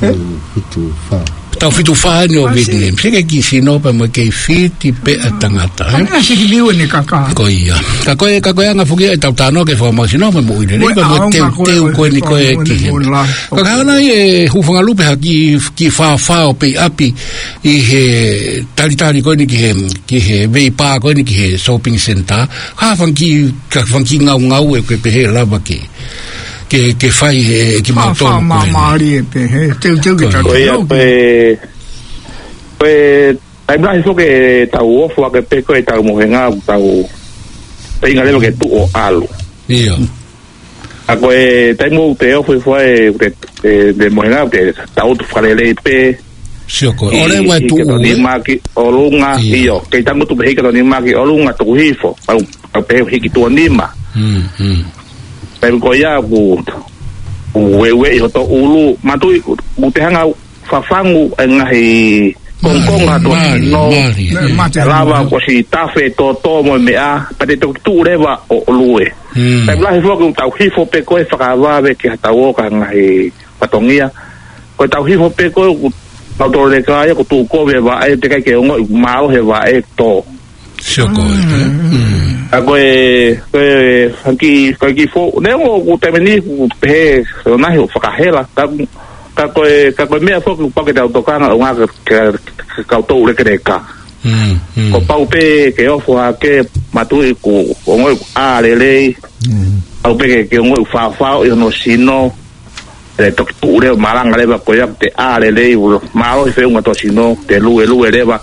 ko E? fitu fā. Taʻu fitu fā eni ʻo Masi. Vietnam. Sio ki he kiʻi sino pea mo e kei fiti pē ʻa e tangata, e? Ana siki liu eni kaka. Ko ia. Ka ko e, ka ko e anga foki e tau tano ke fakamāsino mo e moʻui lelei, Mo e pea mo e aonga ko e teuteu ko eni ko e mo e ki he. mo e la. Ka ka hana e hūfanga lupe ha kiʻi, kiʻi fāfao pē ʻi ʻapi ʻi he talitali ko eni ki he, ki he veipā ko eni ki he shopping center. Ka fanga kiʻi, ka fanga kiʻi ngaungau ē ke pehē lava ke, ke, ke fai ʻe kimautolu Fāfā ko ē. māmālie pē, he teuteu ke Ko ia. tau Ko ia, tau ko e, ko e, taimi lahi foki e tau ofo ake pē ko e tau mohenga, tau feinga leva ke tuʻu ʻo ʻalu. ʻIo. ʻA ko e taimi ʻoku te ofo ai, ʻoku te, e, te mohenga, ʻoku te tau ʻotu fakalelei pē. Sio ko e, ʻi, ʻo leva e tuʻu, hiki e tuʻu ʻe? Nima ki ʻolunga, ʻIo. ʻio, kei tangutu pē hiki e tuʻu nima ki ʻolunga, tuku hifo, ʻau, ʻau pehē hiki tuʻu nima. Mm, mm. Taimi ko ia ʻoku, ʻoku ueue ʻi hoto ʻulu, manatuʻi, ʻoku te hanga fafangu e ngaahi kongokonga ʻa e tō Mali, sino. Mali, Ne, ʻio. mate. Lava ko si tafe tōtō mo e meʻa, pea te toki tuʻu leva ʻo, ʻo lue. Mm. Taimi lahi foki ʻoku tau hifo pē ko e fakavave ke ha tau ō ki ha ngaahi fatongia. Ko e tau hifo pē ko e ʻoku tau toleka ia ʻoku tuʻu kovi e vaʻe, teʻeki ai ke ongoʻi mālohi e vaʻe tō. Sio ko e, Mm. ʻA ko e, ko e, hangē, ko e kiʻi foʻi, neongo ʻoku taimi ni ʻoku pehē, ʻo nai ʻo fakahela, ka, ka ko e, ka ko e meʻa foki ʻoku pau ke tau tokanga ʻo ngā ke, ke, ke kau tau lekeleka. Mm, mm. Kuo pau pē ke ofo hake, manatuʻi ʻoku ongoʻi ʻoku ʻā lelei, Mm. pau pē ke, ke ongoʻi ʻoku faofao ʻi hono sino, ʻe toki tuʻu leva, malanga leva ko ia, te ʻā lelei, ulo, mālohi e feʻunga tō sino, te luelue leva,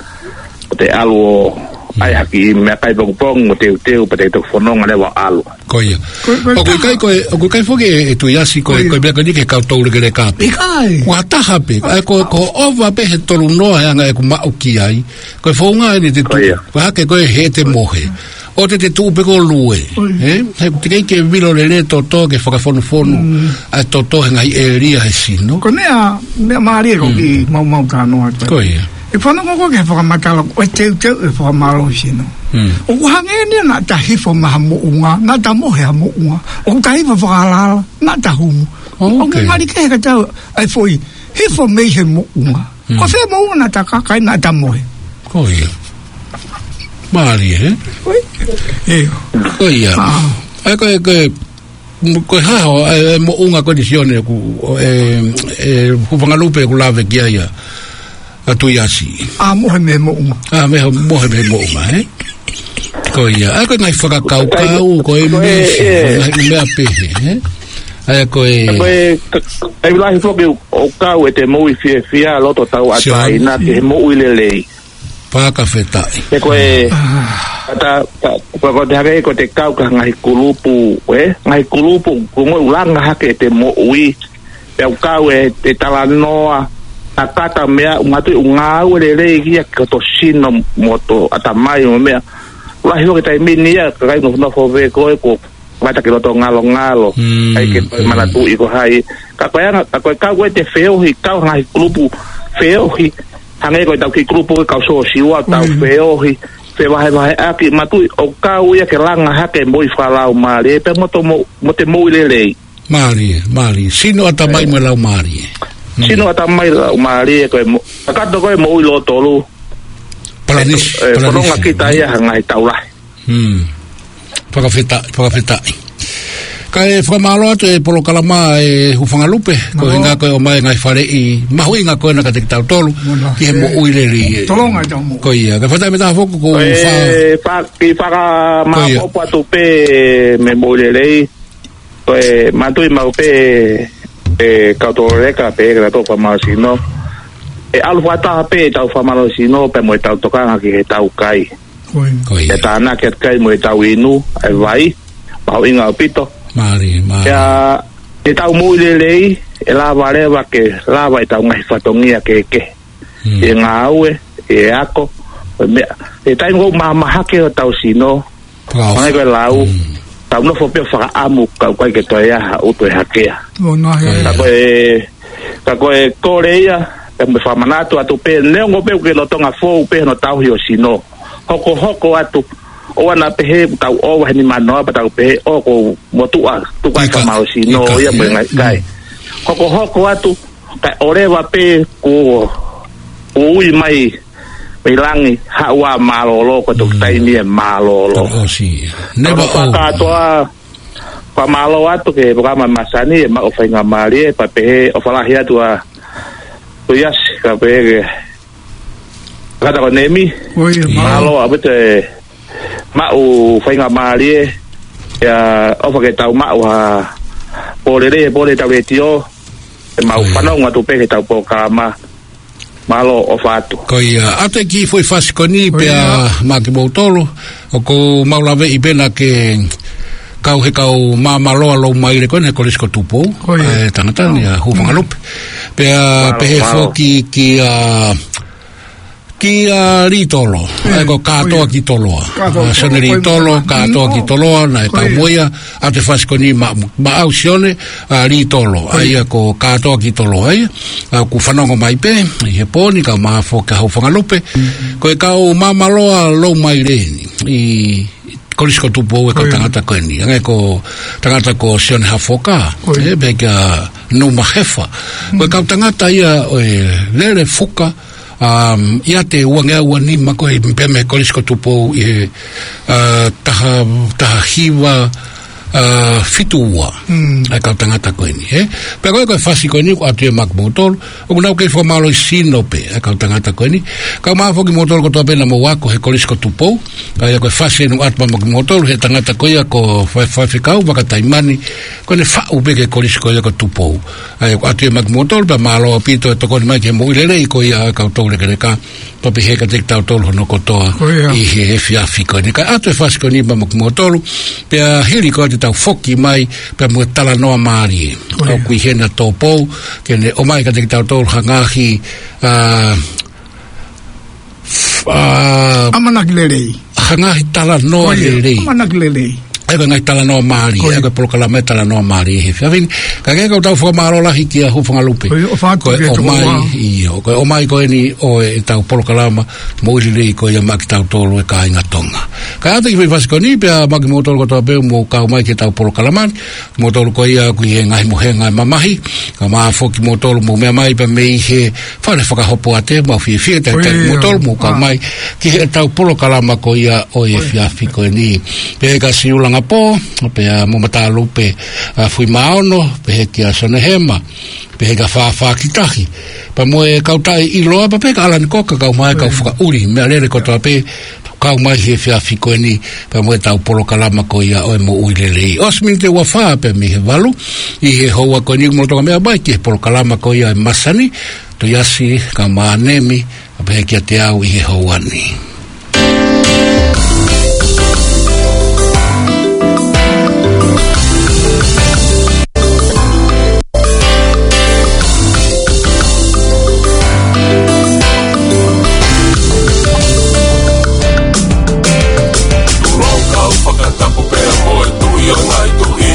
ʻo te ʻalu ʻo ʻai ha kiʻi meʻakai pongipongi, mo teuteu, pea te toki fononga leva ʻo ʻalu. Ko ia. Ko, ko, ʻOku ʻikai ko e, ʻoku ʻikai foki e, e Tuʻiasi ko e, Ko ia. ko e meʻa ko eni ke kau tau lekeleka pē. ʻIkai. Ua taha pē, ʻa ko, ko ova pē he tolu noa he anga ʻeku maʻu ki ai. Ko e founga eni te Ko tuʻu, ia. ko e hake ko e he te mohe. ʻO te te tuʻu pē ko e lue. Ko ia. Ē? He teʻeki ke vilo lelei e tōtō ke fakafonufonu Mm. ʻa e tōtō he ngaahi ʻēlia he sino. Ko e meʻa, meʻa mālie ko Mm. ki maumau ka noa atu. Ko ia. ʻE fanongo ko e ke fakamatala, ko e teuteu e fakamālohi sino. Mm. ʻOku hangē ni naʻa ta hifo mei ha moʻunga, naʻa ta mohe ha moʻunga. ʻOku ta hifo fakalahi, naʻa ta humu. Oh, ʻOku okay. ngali kehe ka tau, ʻai foʻi, hifo mei he moʻunga. Mm. Ko fē moʻunga naʻa ta kaka ai naʻa ta mohe. Ko ia. Mālie, ē? Ui. ʻIo. Ko ia. Ah. ʻA ko e, ko e, ko e hā hoʻo, e, e moʻunga ko eni Sione ʻoku, e, e, Hufangalupe ʻoku lave ki ai ʻa, ʻa Tuʻiasi. ʻA mohe mei he moʻunga. ʻA mei he, mohe mei he moʻunga, ē? Ko ia. ʻA ko e ngaahi fakakaukau, ko e Ko e, misi, e. ngaahi meʻa pehē, ē? ʻA ko e Ko e, ka, ka, ʻai lahi foki ʻo kau e te moʻui fiefia loto tau Sio. ʻataina ki he moʻui lelei. Fakafetaʻi. He ko e, Ah. ka ta, ka, ka ko te hake ko te kau ki ha ngaahi kulupu, ē? Ngaahi kulupu, ko e ongoʻi ʻoku langa hake e te moʻui. Pea ʻoku kau e te talanoa, ʻa kata meʻa, ʻoku manatuʻi ʻoku ngāue lelei ia ki hoto sino mo hoto ʻatamai mo e meʻa. Lahi ʻo ke taimi ni ia, ka kai nofonofo vē ko e ko, mata ki loto ngalongalo. Mm, ʻAi ke mm. manatuʻi ko hai. Ka ko e anga, ka ko e kau ko e te feohi, kau ngaahi kulupu feohi. Hangē ko e tau kiʻi kulupu ke kau sōsiua, tau Mm. feohi. Fevahevaheʻaki, manatuʻi ʻoku kau ia ke langa hake moʻui fakalaumālie, pea mo to mo, mo te moʻui lelei. Mālie, mālie. Sino ʻatamai Ē. mo e laumālie. Mm. Sino ʻatamai laumālie, ko e mo, kakato ko e moʻui lōtolu. Palanisi, Ē, ē, palanisi. fononga kita ia ha ngaahi tau lahi. Mm. Fakafetaʻi, fakafetaʻi. Kae fakamālō atu e polokalama ʻa e Hufangalupe, ko e Mālō. hinga ko e ʻomai ngaahi faleʻi mahuʻinga ko ena kiate kitautolu, Mālō. ki he Ē. moʻui lelei. Tolonga e tau moʻui. Ko ia, kae fakataha meʻa taha foki ko Ko e fa- fa- ki faka Ko ia. māpopo atu pē mei he moʻui lelei, ko e manatuʻi maʻu pē ʻe kau toleka pē ke tau fakamālohisino. ʻE ʻalu fakataha pē ʻetau fakamālohisino pea mo ʻetau tokanga ki he tau kai. Ko ia. Ko ia. ʻE tānaki atu kai mo ʻetau inu, ʻa e vai, mahuʻinga ʻaupito. Mālie, mālie. Pea, ʻetau moʻui lelei, ʻe lava leva ke, lava ʻetau ngaahi fatongia kehekehe. Hmm. ʻE ngāue, ʻe ako, ʻe meʻa. ʻE taimi ʻoku mahamahake hotau sino, Pau. Hangē ko e lau, Mm. tau nofo pē ʻo fakaʻamu, ka ʻoku ʻikai ke toe ʻi ai ha ʻuto ʻe hakea. Ō, nā he. Ka ko e, ka ko e kole ia, ʻe mo fakamanatu atu pē, neongo pē ʻoku ke lolotonga fou pē hono tauhi ho sino. Hokohoko atu, ʻoua naʻa pehē, tau ʻova he nimanoa, pea tau pehē, ʻoku motuʻa, tuku ai Ika. fakamālohisino, Ika. ia mo e ngaahi kai. Mm. Hokohoko atu, kae ʻoleva pē, kuo, kuo ui mai, mei langi, haʻu ʻo mālōlō, ko e toki Mm. taimi ʻe mālōlō. Tau ʻosi. Never Kau old. fakatoa, fakamālō atu ki he polokalama masani, ʻe maʻu faingamālie, pea pehē, ʻofa lahi atu ʻa Tuʻiasi, ka pehē ke, kata ko Nemi, Ko ia, Mālō. mālō ʻaupito e maʻu faingamālie, ia ʻofa ke tau maʻu ha pōlele, pōlele tau letiō, ʻe mau Ko ia. fanongo atu pē ki he tau polokalama. Mālō, ʻofa atu. Ko ia, ʻa e kiʻi foʻi fasi ko eni pea maʻa kimoutolu, ʻoku mau laveʻi pē naʻa ke kau he kau māmāloa loumaile ko eni he Kolisi ko Tupou, ʻa e tangata ni ʻa Hūfangalupe. Pea pehē foki kia, kia Litolo, ʻa ia ko Kātoa ki Toloa. Sione Litolo, Kātoa ki Toloa, naʻe kau mo ia, ʻa e fasi ko eni maʻa, maʻau Sione, ʻa Litolo, ʻa ia ko Kātoa ki Toloa, ʻa ia, ʻoku fanongo mai pē, ʻi he pō ni, kau mai foki ʻa Hūfangalupe, ko e kau māmāloa loumaile eni, ʻi Kolisi ko Tupou e kau tangata ko eni, hangē ko e tangata ko Sione Hafoka, ʻe, pehē kia Numa Hefa. Ko e kau tangata ia ʻo e lele fuka, ʻa ia ʻi he ua ngeau ua nima ko ē pea mei he Kolisi ko Tupou ʻi he, ʻa, taha, taha hiva, ʻa, fitu ua. ʻA e kau tangata ko eni, ʻe. Pea ko e, ko e fasi ko eni ʻoku ʻoatu ia maʻa kimoutolu, ʻoku nau kei fakamālohi sino pē, ʻa e kau tangata ko eni. Kau mai foki kimoutolu kotoa pē naʻa mou ako he Kolisi ko Tupou, ʻa ia ko e fasi eni ʻoku ʻoatu maʻa kimoutolu, he tangata ko ia ko Faifekau Vakataimani, ko ʻene faʻu pē ki he Kolisi ko ia ko Tupou. ʻA ia ʻoku ʻoatu ia maʻa kimoutolu, pea mālō ʻaupito e tokoni mai ki he moʻui lelei ko ia ʻa e kau toulekeleka, pea pehē kiate kitautolu hono kotoa ʻi he efiafi ko eni. Kae ʻoatu e fasi ko eni maʻa kimoutolu, pea hili ko ia te tau foki mai, pea mo e talanoa mālie. ʻOku ʻi heni ʻa Tōpou, ke ne ʻomai kiate kitautolu ha ngaahi, ʻa, ʻa, ʻamanaki lelei. Ha ngaahi talanoa lelei. ʻAmanaki lelei. ʻA ia ko e ngaahi talanoa mālie, ʻa ia ko e polokalama ʻa e talanoa mālie he efiafi ni. Kae kehe, ʻoku tau fakamālō lahi kia Hūfangalupe. Ko e ʻomai, ʻio, ko e ʻomai ko eni ʻo e, ʻetau polokalama moʻui lelei ko ia maʻa kitautolu e kāinga Tonga. Kae ʻoatu e kiʻi foʻi fasi ko eni pea maʻa kimoutolu kotoa pē ʻoku mou kau mai ki heʻetau polokalama ni, kimoutolu ko ia ʻoku ʻi he ngaahi mohenga ʻo e mamahi, kau mai foki kimoutolu mou meʻa mai pea mei he fale fakahopoate, mau fiefia talitali kimoutolu mou kau mai ki heʻetau polokalama ko ia ʻo e efiafi ko eni. Pea kia Siulangapō, pea mo Matalupe, ʻa, Fuimaono, pehē kia Sonehema, pehē kia Fāfā Kitahi, pea mo e kau taʻeʻiloa, pea pehē kia ʻAlani Koka, kau mai kau fakaʻuli meʻalele kotoa pē, kau mai he efiafi ko eni, pea mo ʻetau polokalama ko ia ʻo e moʻui lelei. ʻOsi miniti ʻe ua fā pea mei he valu ʻi he houa ko eni, mou toki meʻa mai ki he polokalama ko ia ʻa e masani, Toiasi Kamaʻanemi, ʻa pehē kiate au ʻi he houa ni. Tulou kau fakatapu pea mo e Tuʻi ʻo e ngaahi tuʻi.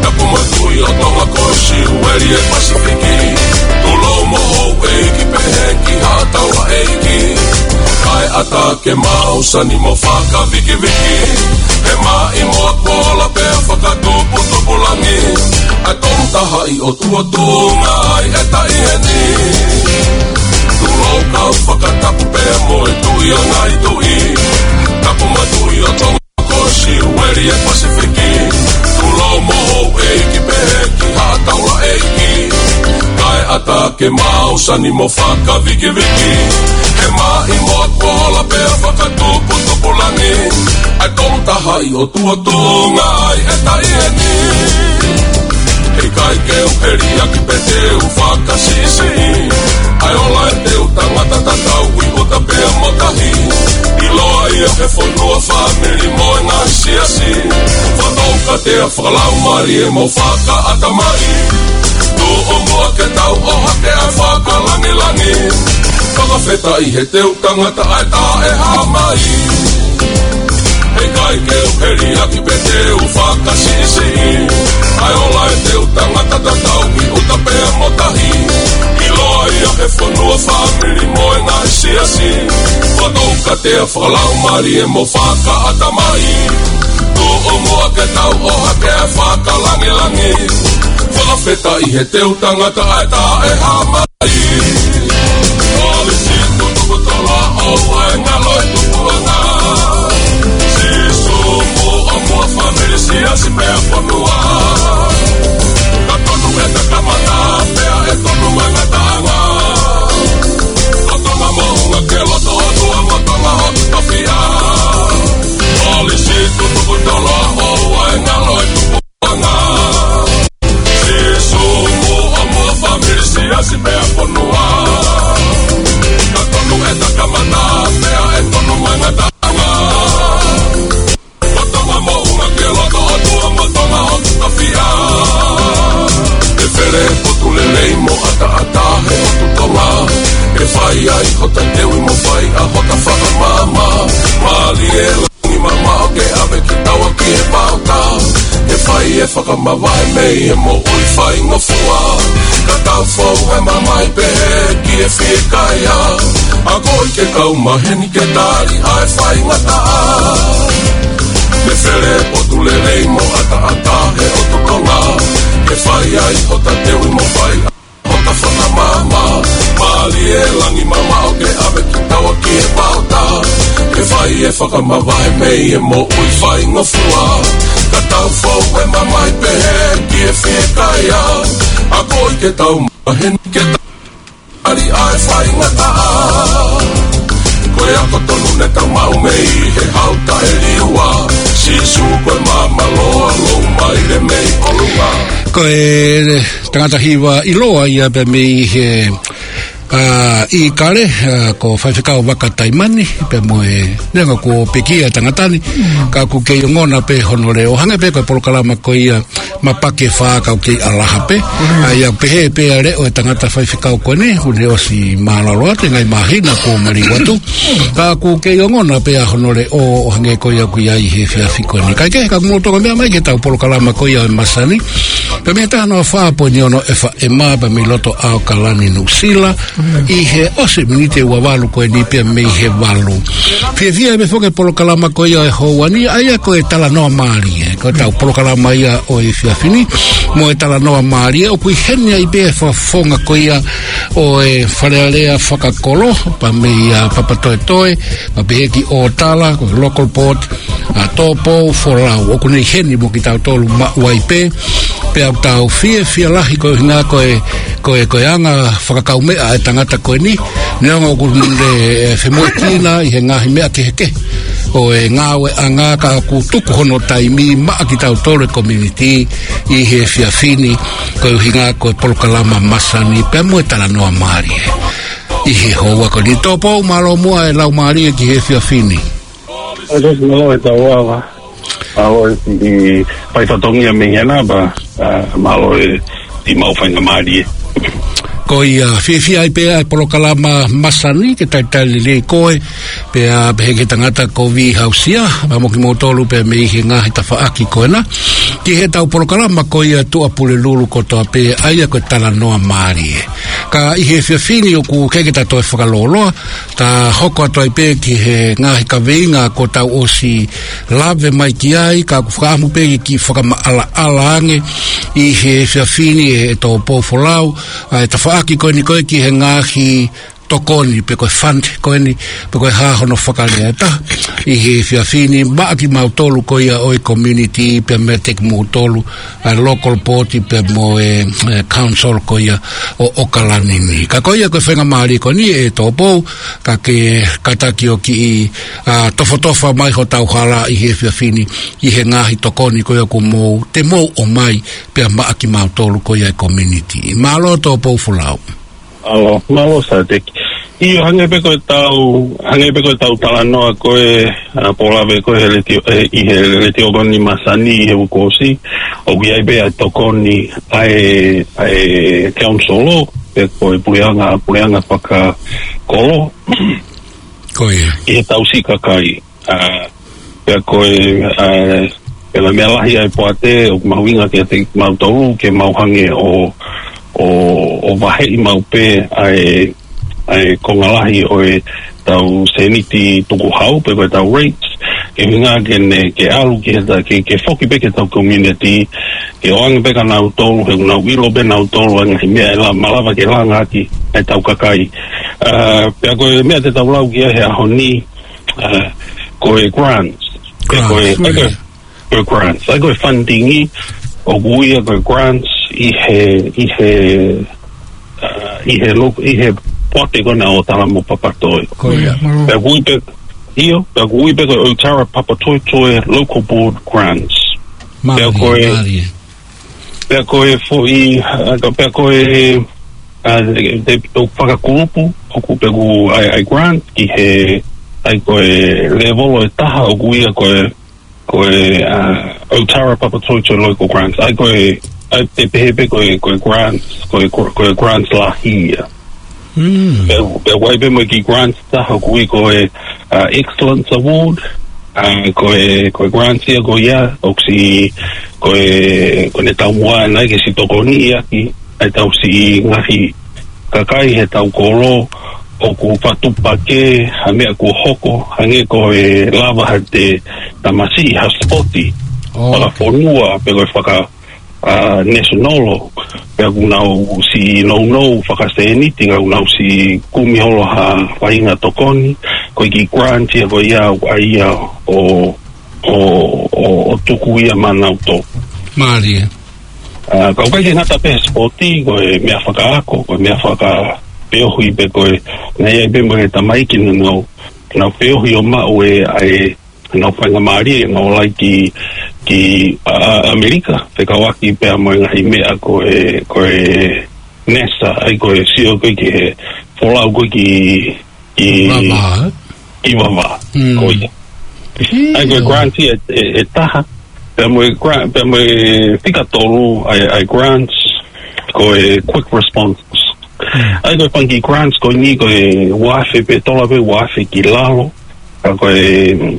Tapu mo e Tuʻi ʻo Tonga ko Siueli ʻo e Pasifiki. Tulou mo houʻeiki pehē ki haʻa taulaʻeiki. Kae ʻatā ke mau sani mo fakavikiviki. He maʻimoa kuo ola pea fakatuputupulangi. ʻA e Tongatahaʻi ʻOtua tuʻunga ai e taʻi eni. Tulou kau fakatapu pea mo e Tuʻi ʻo e ngaahi tuʻi. Tapu mo e Tuʻi ʻo Tonga ko Siueli ʻo e Pasifiki. Tulou mo houʻeiki pehē ki haʻa taulaʻeiki. Kae ʻatā ke mau sani mo fakavikiviki. He maʻimoa kuo ola pea fakatuputupulangi. ʻA e Tongatahaʻi ʻOtua tuʻunga ai e taʻi eni. ʻIkai ke u heliaki pe te u fakasiʻisiʻi. ʻA e ola ʻetau tangata tatau ʻi ʻuta pea mo tahi. ʻIloa ia he fonua, fāmili mo e ngaahi siasi. Fakatoukatea fakalaumālie mo fakaʻatamai. Tuʻu muʻa ke tau ʻohake ʻa e fakalāngilangi. Fakafetaʻi he teu tangata ʻa e taʻehāmai. ʻIkai ke u heliaki pe te u fakasiʻisiʻi. ʻA e ola ʻetau tangata tatau ʻi ʻuta pea mo tahi. ʻIloa ia he fonua, fāmili mo e ngaahi siasi. Fakatoukatea fakalaumālie mo fakaʻatamai. Tuʻu muʻa ke tau ʻohake ʻa e fakalāngilangi. Fakafetaʻi he teu tangata ʻa e taʻehāmai. Kolisi ko Tupou, Toloa, ʻoua ʻe ngalo e tupuʻanga. Sīsū muʻa, muʻa fāmili, siasi pea fonua. Ka tonu ʻeta kamata, pea ʻe tonu e ngataʻanga. Ko Tonga moʻunga ke loto ʻOtua mo Tonga ʻoku tofiʻa. Kolisi ko Tupou, Toloa, ʻoua ʻe ngalo e tupu- ʻanga. Sīsū muʻa, muʻa fāmili, siasi pea fonua. Fai e fakamavahe mei he moʻui faingofua, ka tau fou e mamahi pehē ki he fiekaia. Akoʻi ke kau maheni ke tali ʻa e faingataʻa. Mei he fele potu lelei mo ʻataʻatā he ʻotu Tonga, ke fai ai hota teuʻi mo fai hota fakamāmā. Mālie langi mamaʻo ke ʻave kitaua ki he vaotā, ke fai e fakamavahe mei he moʻui faingofua, ka tau fou e mamahi pehē ki he fiekaia. Akoʻi ke tau maheni ke tali ʻa e faingataʻa. Ko e ako tonu ne tau maʻu mei he hau taʻeliua. Sīsū ko e maama loa, lou maile mei ʻolunga. Ko e tangata hiva ʻiloa ia pea mei he, ʻa, ʻIkale, ʻa, ko Faifekau Vaka Taimani, pea mo e, neongo kuo pekia e tangata ni, ka ʻoku kei ongona pē hono leʻo. Hangē pē ko e polokalama ko ia Mapaki e Fā, ka ʻoku kei ʻalaha pē. ʻA ia pehē pē ʻa e leʻo e tangata faifekau ko eni, ʻoku ne ʻosi mālōlō atu, ngaahi māhina kuo maliu atu. Ka ʻoku kei ongona pē ʻa hono leʻo ʻo hangē ko ia ʻoku ʻi ai he efiafi ko eni. Kae kehe, ka mou toki meʻa mai ki heʻetau polokalama ko ia ʻo e masani. Pea mei he taha noa fā poini ono FM pea mei loto ʻAokalani, Nuʻusila. ʻI he ʻosi miniti ua valu ko eni pea mei he valu. Fiefia pē foki e polokalama ko ia ʻo e houa ni, ʻa ia ko e Talanoa Mālie. Ko ʻetau polokalama ia ʻo e efiafi ni, mo e Talanoa Mālie, ʻoku ʻi heni ai pē e fakafofonga ko ia ʻo e Fale Alea fakakolo, pea mei a Papatoetoe, pea pehē ki ʻŌtala, ko e local board, ʻa Tōpou Folau, ʻoku ne ʻi heni mo kitautolu maʻu ai pē, pea ʻoku tau fiefia lahi koeʻuhi ko e, ko e, ko e anga fakakaumeʻa e tangata ko eni, neongo ʻoku ne, ʻe, femoʻuekina ʻi he ngaahi meʻa kehekehe ʻo e ngāueʻanga, ka ʻoku tuku hono taimi maʻa kitautolu e community ʻi he efiafi ni, koeʻuhi ko e polokalama masani, pea mo e Talanoa Mālie. ʻI he houa ko eni, Tōpou, mālō muʻa e lau mālie ki he efiafi ni. ʻOi, ʻosi mālō e tau ava. Mālō e ʻi fai fatongia mei hena pea, ʻa, mālō e ʻi mau faingamālie. Ko ia, fiefia ai pē ʻa e polokalama masani ke talitali lelei koe, pea pehē ki he tangata ko Vihausia, pea mo kimoutolu pea mei he ngaahi tafaʻaki ko ena, ki heʻetau polokalama ko ia Tuʻapulelulu kotoa pē, ʻa ia ko e Talanoa Mālie. Ka ʻi he efiafi ni ʻoku ʻikai ke ta toe fakalōloa, ta hoko atu ai pē ki he ngaahi kaveinga kuo tau ʻosi lave mai ki ai, ka ʻoku fakaʻamu pē ke fakamaʻalaʻala ange ʻi he efiafi ni ʻe, ʻe Tōpou Folau, ʻa e tafaʻaki ko eni ko ē ki he ngaahi tokoni, pe ko e fund ko eni, pe ko e hā hono fakalea ʻe taha, ʻi he efiafi ni maʻa kimautolu ko ia ʻo e community, pea meiate kimoutolu, ʻa e local board pea mo e, e council ko ia ʻo ʻAokalani ni. Ka ko ia ko e faingamālie ko eni ʻe Tōpou, ka ke kātaki ʻo kiʻi, ʻa, tofotofa mai hotau hala ʻi he efiafi ni, ʻi he ngaahi tokoni ko ia kuo mou, te mou ʻomai, pea maʻa kimautolu ko ia e community. Mālō Tōpou Folau. Mālō, mālō Saiteki. ʻIo, hangē pē ko ʻetau, hangē pē ko ʻetau talanoa ko ē, ʻa, pōlave ko ē he letiō, ʻe, ʻi he letiō ko eni masani ʻi he uike kuo ʻosi, ʻoku ʻi ai pē ʻa e tokoni ʻa e, ʻa e council, pe ko e puleʻanga, puleʻanga fakakolo. Ko ia. ʻI heʻetau siʻi kakai. ʻA, pea ko e, ʻa, pea ko e meʻa lahi ʻa e poate, ʻoku mahuʻinga kiate kimautolu, ke mau hangē ʻo, ʻo, ʻo vaheʻi maʻu pē ʻa e, ʻa e konga lahi ʻo ʻetau sēniti tukuhau, pe ko ʻetau rates, ke ʻuhinga ke ne, ke ʻalu ki heʻeta, ke, ke foki pē ki heʻetau community, ke ʻoange pē kia nautolu, he ʻoku nau ʻilo pē nautolu ʻa e ngaahi meʻa ʻe la-, malava ke langa ʻaki ʻetau kakai. ʻA, pea ko e meʻa te tau lau ki ai he ʻaho ni, ʻa, ko e grants. Ko e, Grants, ko e, yeah. Ko e grants. ʻA ia ko e funding ʻoku ui ia ko e grants ʻi he, ʻi he, ʻa, ʻi he lo-, ʻi he poate ko ena ʻo ʻŌtala mo Papatoetoe. Ko ia. Mālō. Pea ʻoku ui pē, ʻio, pea ʻoku ui pē ko e ʻOtara Papatoetoe Local Board Grants. Pea Mālie, ko e, mālie. Pea ko e foʻi, ʻa, ka pea ko e, ʻa, te, te, ʻo fakakulupu, ʻoku pea ʻoku ʻai, ʻai grant ki he, ʻai ko e level ʻe taha ʻoku ui ia ko e, ko e, ʻa, ʻOtara Papatoetoe Local Grants. ʻAi ko e, ʻai te pehē pē ko e, ko e grants, ko e, ko e, ko e grants lahi ia. Mm. Pea, pea ʻoku ʻi ai pē mo e kiʻi grants ʻe taha ʻoku ui ko e, ʻa, Excellence Award. ʻA, ko e, ko e grants ia ko ia, ʻoku siʻi ko e, ko ʻene taumuʻa naʻe ʻikai ke siʻi tokoniʻi ʻaki ʻa e tau siʻi ngaahi kakai he tau kolo ʻoku fakatupu pē ha meʻa kuo hoko, hangē ko e lava ha te tamasiʻi ha sipoti, oh, fakafonua, pe ko e faka, a, national, pea kuo nau siʻi nounou fakasēniti, ka kuo nau siʻi kumi holo ha faʻahinga tokoni, ko e kiʻi grant ia ko ia ʻoku ʻai ia ʻo, ʻo, ʻo, ʻo tuku ia maʻa nautolu. Mālie. A, ka ʻoku ʻikai ke ngata pē he sipoti, ko e meʻa fakaako, ko e meʻa fakapeohi pē ko e, naʻe ʻi ai pē mo e tamaiki naʻa nau, nau peohi ʻo maʻu e, ʻa e, nau faingamālie, nau ō ai ki, ki, a, ʻAmelika, fekauʻaki pea mo e ngaahi meʻa ko e, ko e nesa, ʻa ia ko e sio ko ē ki he folau ko ē ki, ki, vavā, ē? Ki vavā, mm, ko ia. Hī, ʻa ia ko e ʻio, grant ia ʻe, ʻe, ʻe taha, pea mo e grant, pea mo e fika tolu, ʻa e, ʻa e grants, ko e quick response. Mm. ʻA ia ko e fanga kiʻi grants ko eni ko e ua afe pē tola pē ua afe ki lalo, ka ko e,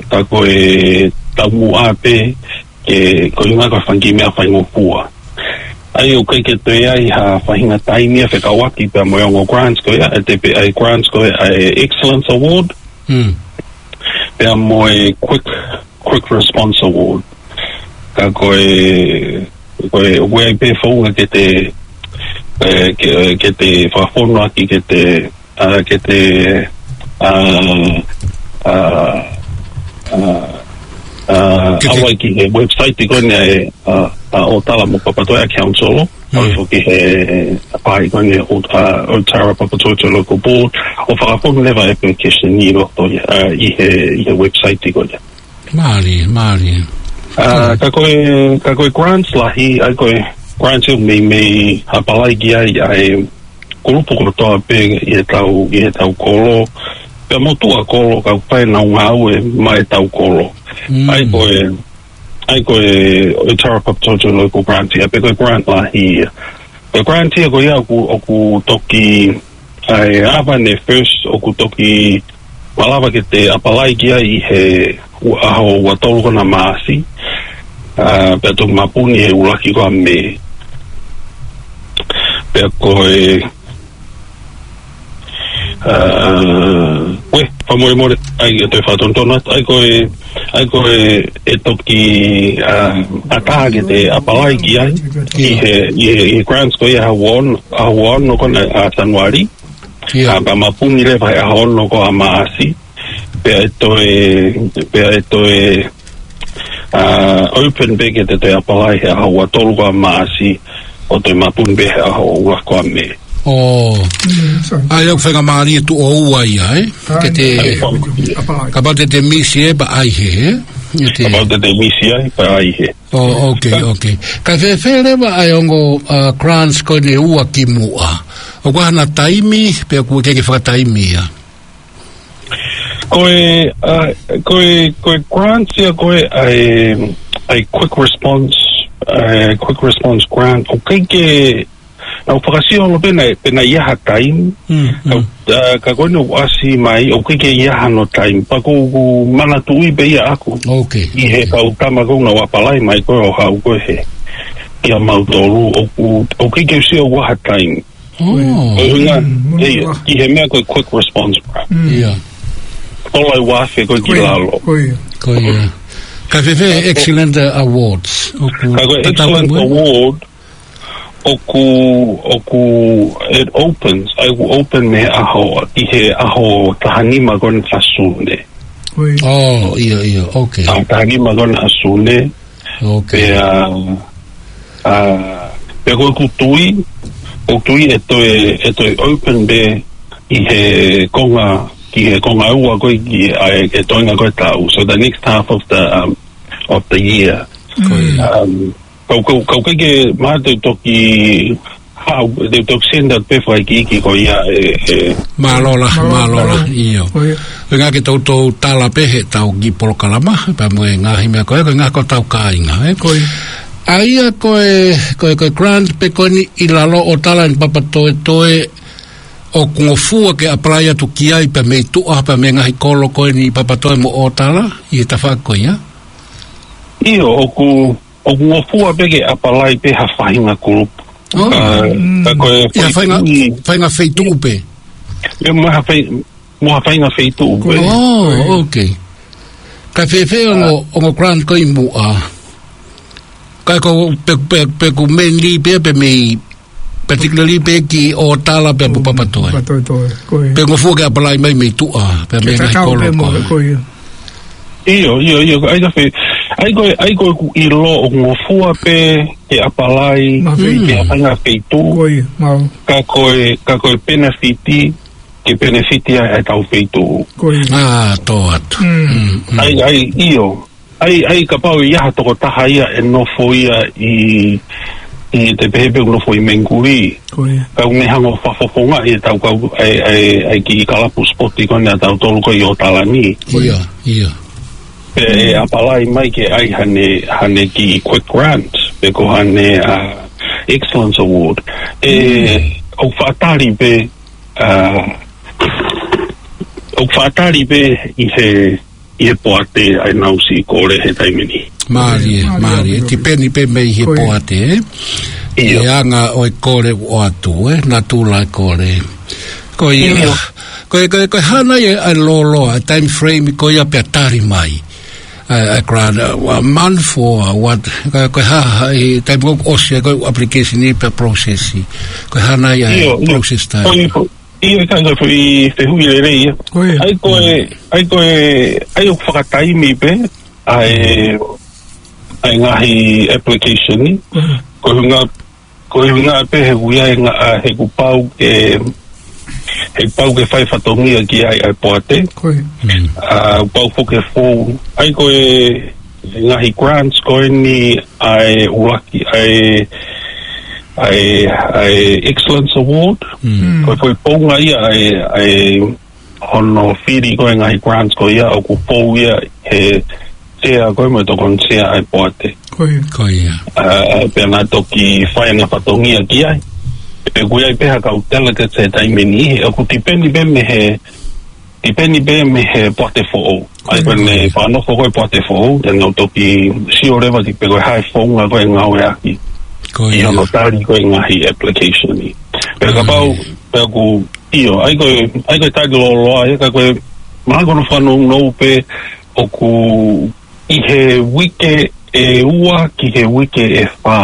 ka ko e taumuʻa pē, ke, ko e ʻuhinga ko e fanga kiʻi meʻa faingofua. ʻA ia ʻoku ʻikai ke toe ʻi ai ha faʻahinga taimi ia fekauʻaki pea mo e ongo grants ko ia, ʻe te pē ʻa e grants ko ia ʻa e Excellence Award, mm, pea mo e Quick, Quick Response Award. Ka ko e, ko e, ʻoku ʻi ai pē founga ke te, e, ke, ke te fakafonu ʻaki ke te, a, ke te, a, a, a, a, ke te ʻalu ai ki he website ko eni ʻa e, a, a, ʻOtala mo Papatoetoe Council, mm, ʻalu foki he pāhia ko eni ʻo, a, ʻOtara Papatoetoe Local Board, ʻo fakafonu leva application ʻi loto ia, a, ʻi he, ʻi he website ko ia. Mālie, mālie. A, ka ko e, ka ko e grants lahi, ʻa ia ko e grants ʻoku meimei apply ki ai ʻa e kulupu kotoa pē ʻi he tau, ʻi he tau kolo, pea mo tuʻa kolo, ka ʻoku ʻikai ke nau ngāue maʻa e tau kolo. Mm. ʻA ia ko e, ʻa ia ko e, ʻOtara Papatoetoe Local Grant ia, pe ko e grant lahi ia. Ko e grant ia ko ia ʻoku, ʻoku toki, ʻa e ava ne first ʻoku toki malava ke te apply ki ai ʻi he ua, ʻaho ua tolu ko ena Maʻasi, a, pea toki mapuni he ʻuluaki ko ē ʻa Mē. Pea ko e, a, ue, fakamolemole, ʻai ke toe fakatonutonu atu, ʻa ia ko e, ʻa ia ko e, ʻe toki, a, ʻatā ke te apply ki ai, ʻi he, ʻi he, ʻi he grants ko ia ʻaho ua ono, ʻaho ua ono ko ena ʻa Sānuali, ʻio, a, pea mapuni leva he ʻaho ono ko ē ʻa Maʻasi, pea ʻe toe, pea ʻe toe, a, open pē ke te toe apply he ʻaho ua tolu ko ē ʻa Maʻasi, ʻo toe mapuni pē he ʻaho ua ko ē ʻa Mē. Oh. Mm, sorry. ʻA ia ʻoku faingamālie tuʻo ua ia, ē? Ke te, ʻa ia, apply. Kapau te te misi ē pea ʻai hē, ē? Ke te, kapau te te misi ai pea ʻai hē. Oh, okay, okay. Ka fēfē leva ʻa e ongo, uh, grants ko eni ʻe ua ki muʻa? ʻOku ʻi ai hano taimi, pe ʻoku ʻikai ke fakataimi ia? Ko e, uh, ko e, ko e grants ia ko ē ʻa e, ʻa e quick response, ʻa e quick response grant, ʻoku ʻikai ke, naʻa ku fakasio holo pē naʻe, pe naʻe ʻi ai ha taimi. Mm, mm. Ka, uh, ka ko eni ʻoku ʻasi mai, ʻoku ʻikai ke ʻi ai hano taimi. Pea ʻoku ou manatuʻi pē ia ʻaʻaku. Okay. ʻI he kau tama ko ē naʻa nau apply mai ko ē ʻo haʻu ko ē he, kia mautolu, ʻoku, ʻoku ʻikai ke u sio ʻoku ʻi ai ha taimi. Oh. Ko e ʻuhinga, mm, ʻe ia, ʻi he meʻa ko e quick response grant. Mm. ʻIo. Tola ʻe ua afe ko ē ki lalo. Ko ia. Ko ia. Ka fēfē ʻa e excellent, uh, awards? ʻOku, ka ko e excellent award, ʻoku, ʻoku, it opens, ʻa ia ʻoku open mei he ʻaho, ʻi he ʻaho taha nima ko ena ʻo Sune. Ko ia. Oh, ʻio, ʻio, okay. ʻAho taha nima ko ena ʻo Sune. Okay. Pea, a, pea ko ʻeku tui, ʻoku ou tui ʻe toe, ʻe toe open pē ʻi he konga, ki he konga ua ko ē ki, ʻa e, e toenga ko ē taʻu. So the next half of the, um, of the year. Ko ia. Um, kau, kau, kau ʻikai ke mahalo te u toki haʻu, te u toki send out pē fakaikiiki ko ia ē, ē. Mālō lahi, mālō lahi, ʻio. Ko ia. Ko e ʻuhinga ke toutou tala pē he ʻetau kiʻi polokalama, pea mo e ngaahi meʻa ko ē, ko e ʻuhinga ko ʻetau kāinga, ē? Ko ia. ʻA ia ko e, ko e, ko e grant pē ko eni ʻi lalo ʻo Tala ni Papatoetoe ʻoku ngofua ke apply atu ki ai pea mei tuʻa, pea mei he ngaahi kolo ko eni ʻi Papatoetoe mo ʻOtala, ʻi he tafaʻaki ko ia? ʻIo, ʻoku, ʻoku ngofua pē ke apalai pē ha faʻahinga kulupu. Oh. Ah, ka ko e ʻI ha faʻahinga, faʻahinga feituʻu pē. ʻIo, mo ha fai-, mo ha faʻahinga feituʻu pē. Oh, okay. Ka fēfē ongo, ongo grant ko ē ʻi muʻa? Ka ko pe, pe, pe ʻoku mainly pē, pe mei, particularly pē ki ʻŌtala pea mo Papatoetoe. Papatoetoe, ko ia. Pe ngofua ke apalai mai mei tuʻa, pe mei ngaahi kolo ko ē. ʻIo, ʻio, ʻio, ʻai ka fē, ʻai ko e, ʻai ko ʻeku ʻilo ʻoku ngofua pē ke apalai, ke faʻahinga feituʻu. Ko ia, mau. Ka ko e, ka ko e penefiti, ke penefiti ai ʻetau feituʻu. Ko ia. Ah, tō atu. Mm. Mm, mm. ʻAi, ʻai, ʻio. ʻAi, ʻai kapau ʻe ʻi ai ha tokotaha ia ʻe nofo ia ʻi, ʻi te pehē pē ʻoku nofo ʻi Mengikuli. Ko ia. Ka ʻoku ne hanga ʻo fakafofongaʻi ʻetau kau, ʻai, ʻai, ʻai kiʻi kalapu sipoti ko eni ʻatautolu ko ē ʻi ʻŌtala ni. Ko ia. ʻIo, ʻio. Pea ʻe apalai mai ke ʻai haʻane, haʻane kiʻi quick grant, pe ko haʻane, ah, Excellence Award. ʻE, ʻoku faʻa tali pē, ah, ʻoku faʻa tali pē ʻi he, ʻi he poate ʻa ʻenau siʻi kole he taimi ni. Mālie, mālie. Tipeni pē mei he poate, ē? ʻIo. ʻI he anga ʻo e kole ʻoku ʻoatu, ē? Natula e kole. Ko ia. ʻIo. Ko e, ko e, ko e hā nai ʻa e, ʻa e lōloa, ʻa e time frame ko ia pea tali mai ʻa e, ʻa e grant, uh, a month or what? Ko e, ko e hā, hā, ʻi he taimi ko ē ʻoku ʻosi ai ko ē application ni pea process. Ko e hā nai ʻa e process time? ʻIo, ʻio. Ko e, ko e, ʻio, ka ko e foʻi fehuʻi lelei ia. Ko ia. ʻAi ko e, ʻai ko e, ʻai ʻoku fakataimi pē ʻa e, ʻa e ngaahi application ni. Ko e ʻuhinga, ko e ʻuhinga pē he ʻoku ʻi ai e ngaahi, ʻa, he ʻoku pau ke, he ʻoku pau ke fai fatongia ki ai ʻa e poate. Ko ia. Mm. ʻA, ʻoku pau foki ke fou. ʻAi ko e, e ngaahi grants ko eni ʻa e ʻuluaki, ʻa e, ʻa e, ʻa e Excellence Award. Mm. Ko e foʻi founga ia ʻa e, ʻa e hono fili ko ē ngaahi grants ko ia ʻoku fou ia he sea ko ē mo e tokoni sea ʻa e poate. Ko ia. Ko ia. ʻA, pea na toki fai ʻena fatongia ki ai. Pe ʻoku ʻi ai pē ha kau delegates he taimi ni, ʻoku tipeni pē mei he, tipeni pē mei he poate foʻou. ʻAi ko ē ʻene fakanofo ko ē poate foʻou, te nau toki sio leva ki pe ko e hā e founga ko ē ʻe ngāueʻaki. Ko ia. ʻI hono tali ko ē ngaahi application ni. Pea kapau, pea ʻoku ʻIo, ʻai ko e, ʻai ko e tali lōloa, ʻio ka ko e, mahalo ko hono fakanounou pē ʻoku ʻi he uike ʻe ua ki he uike ʻe fā.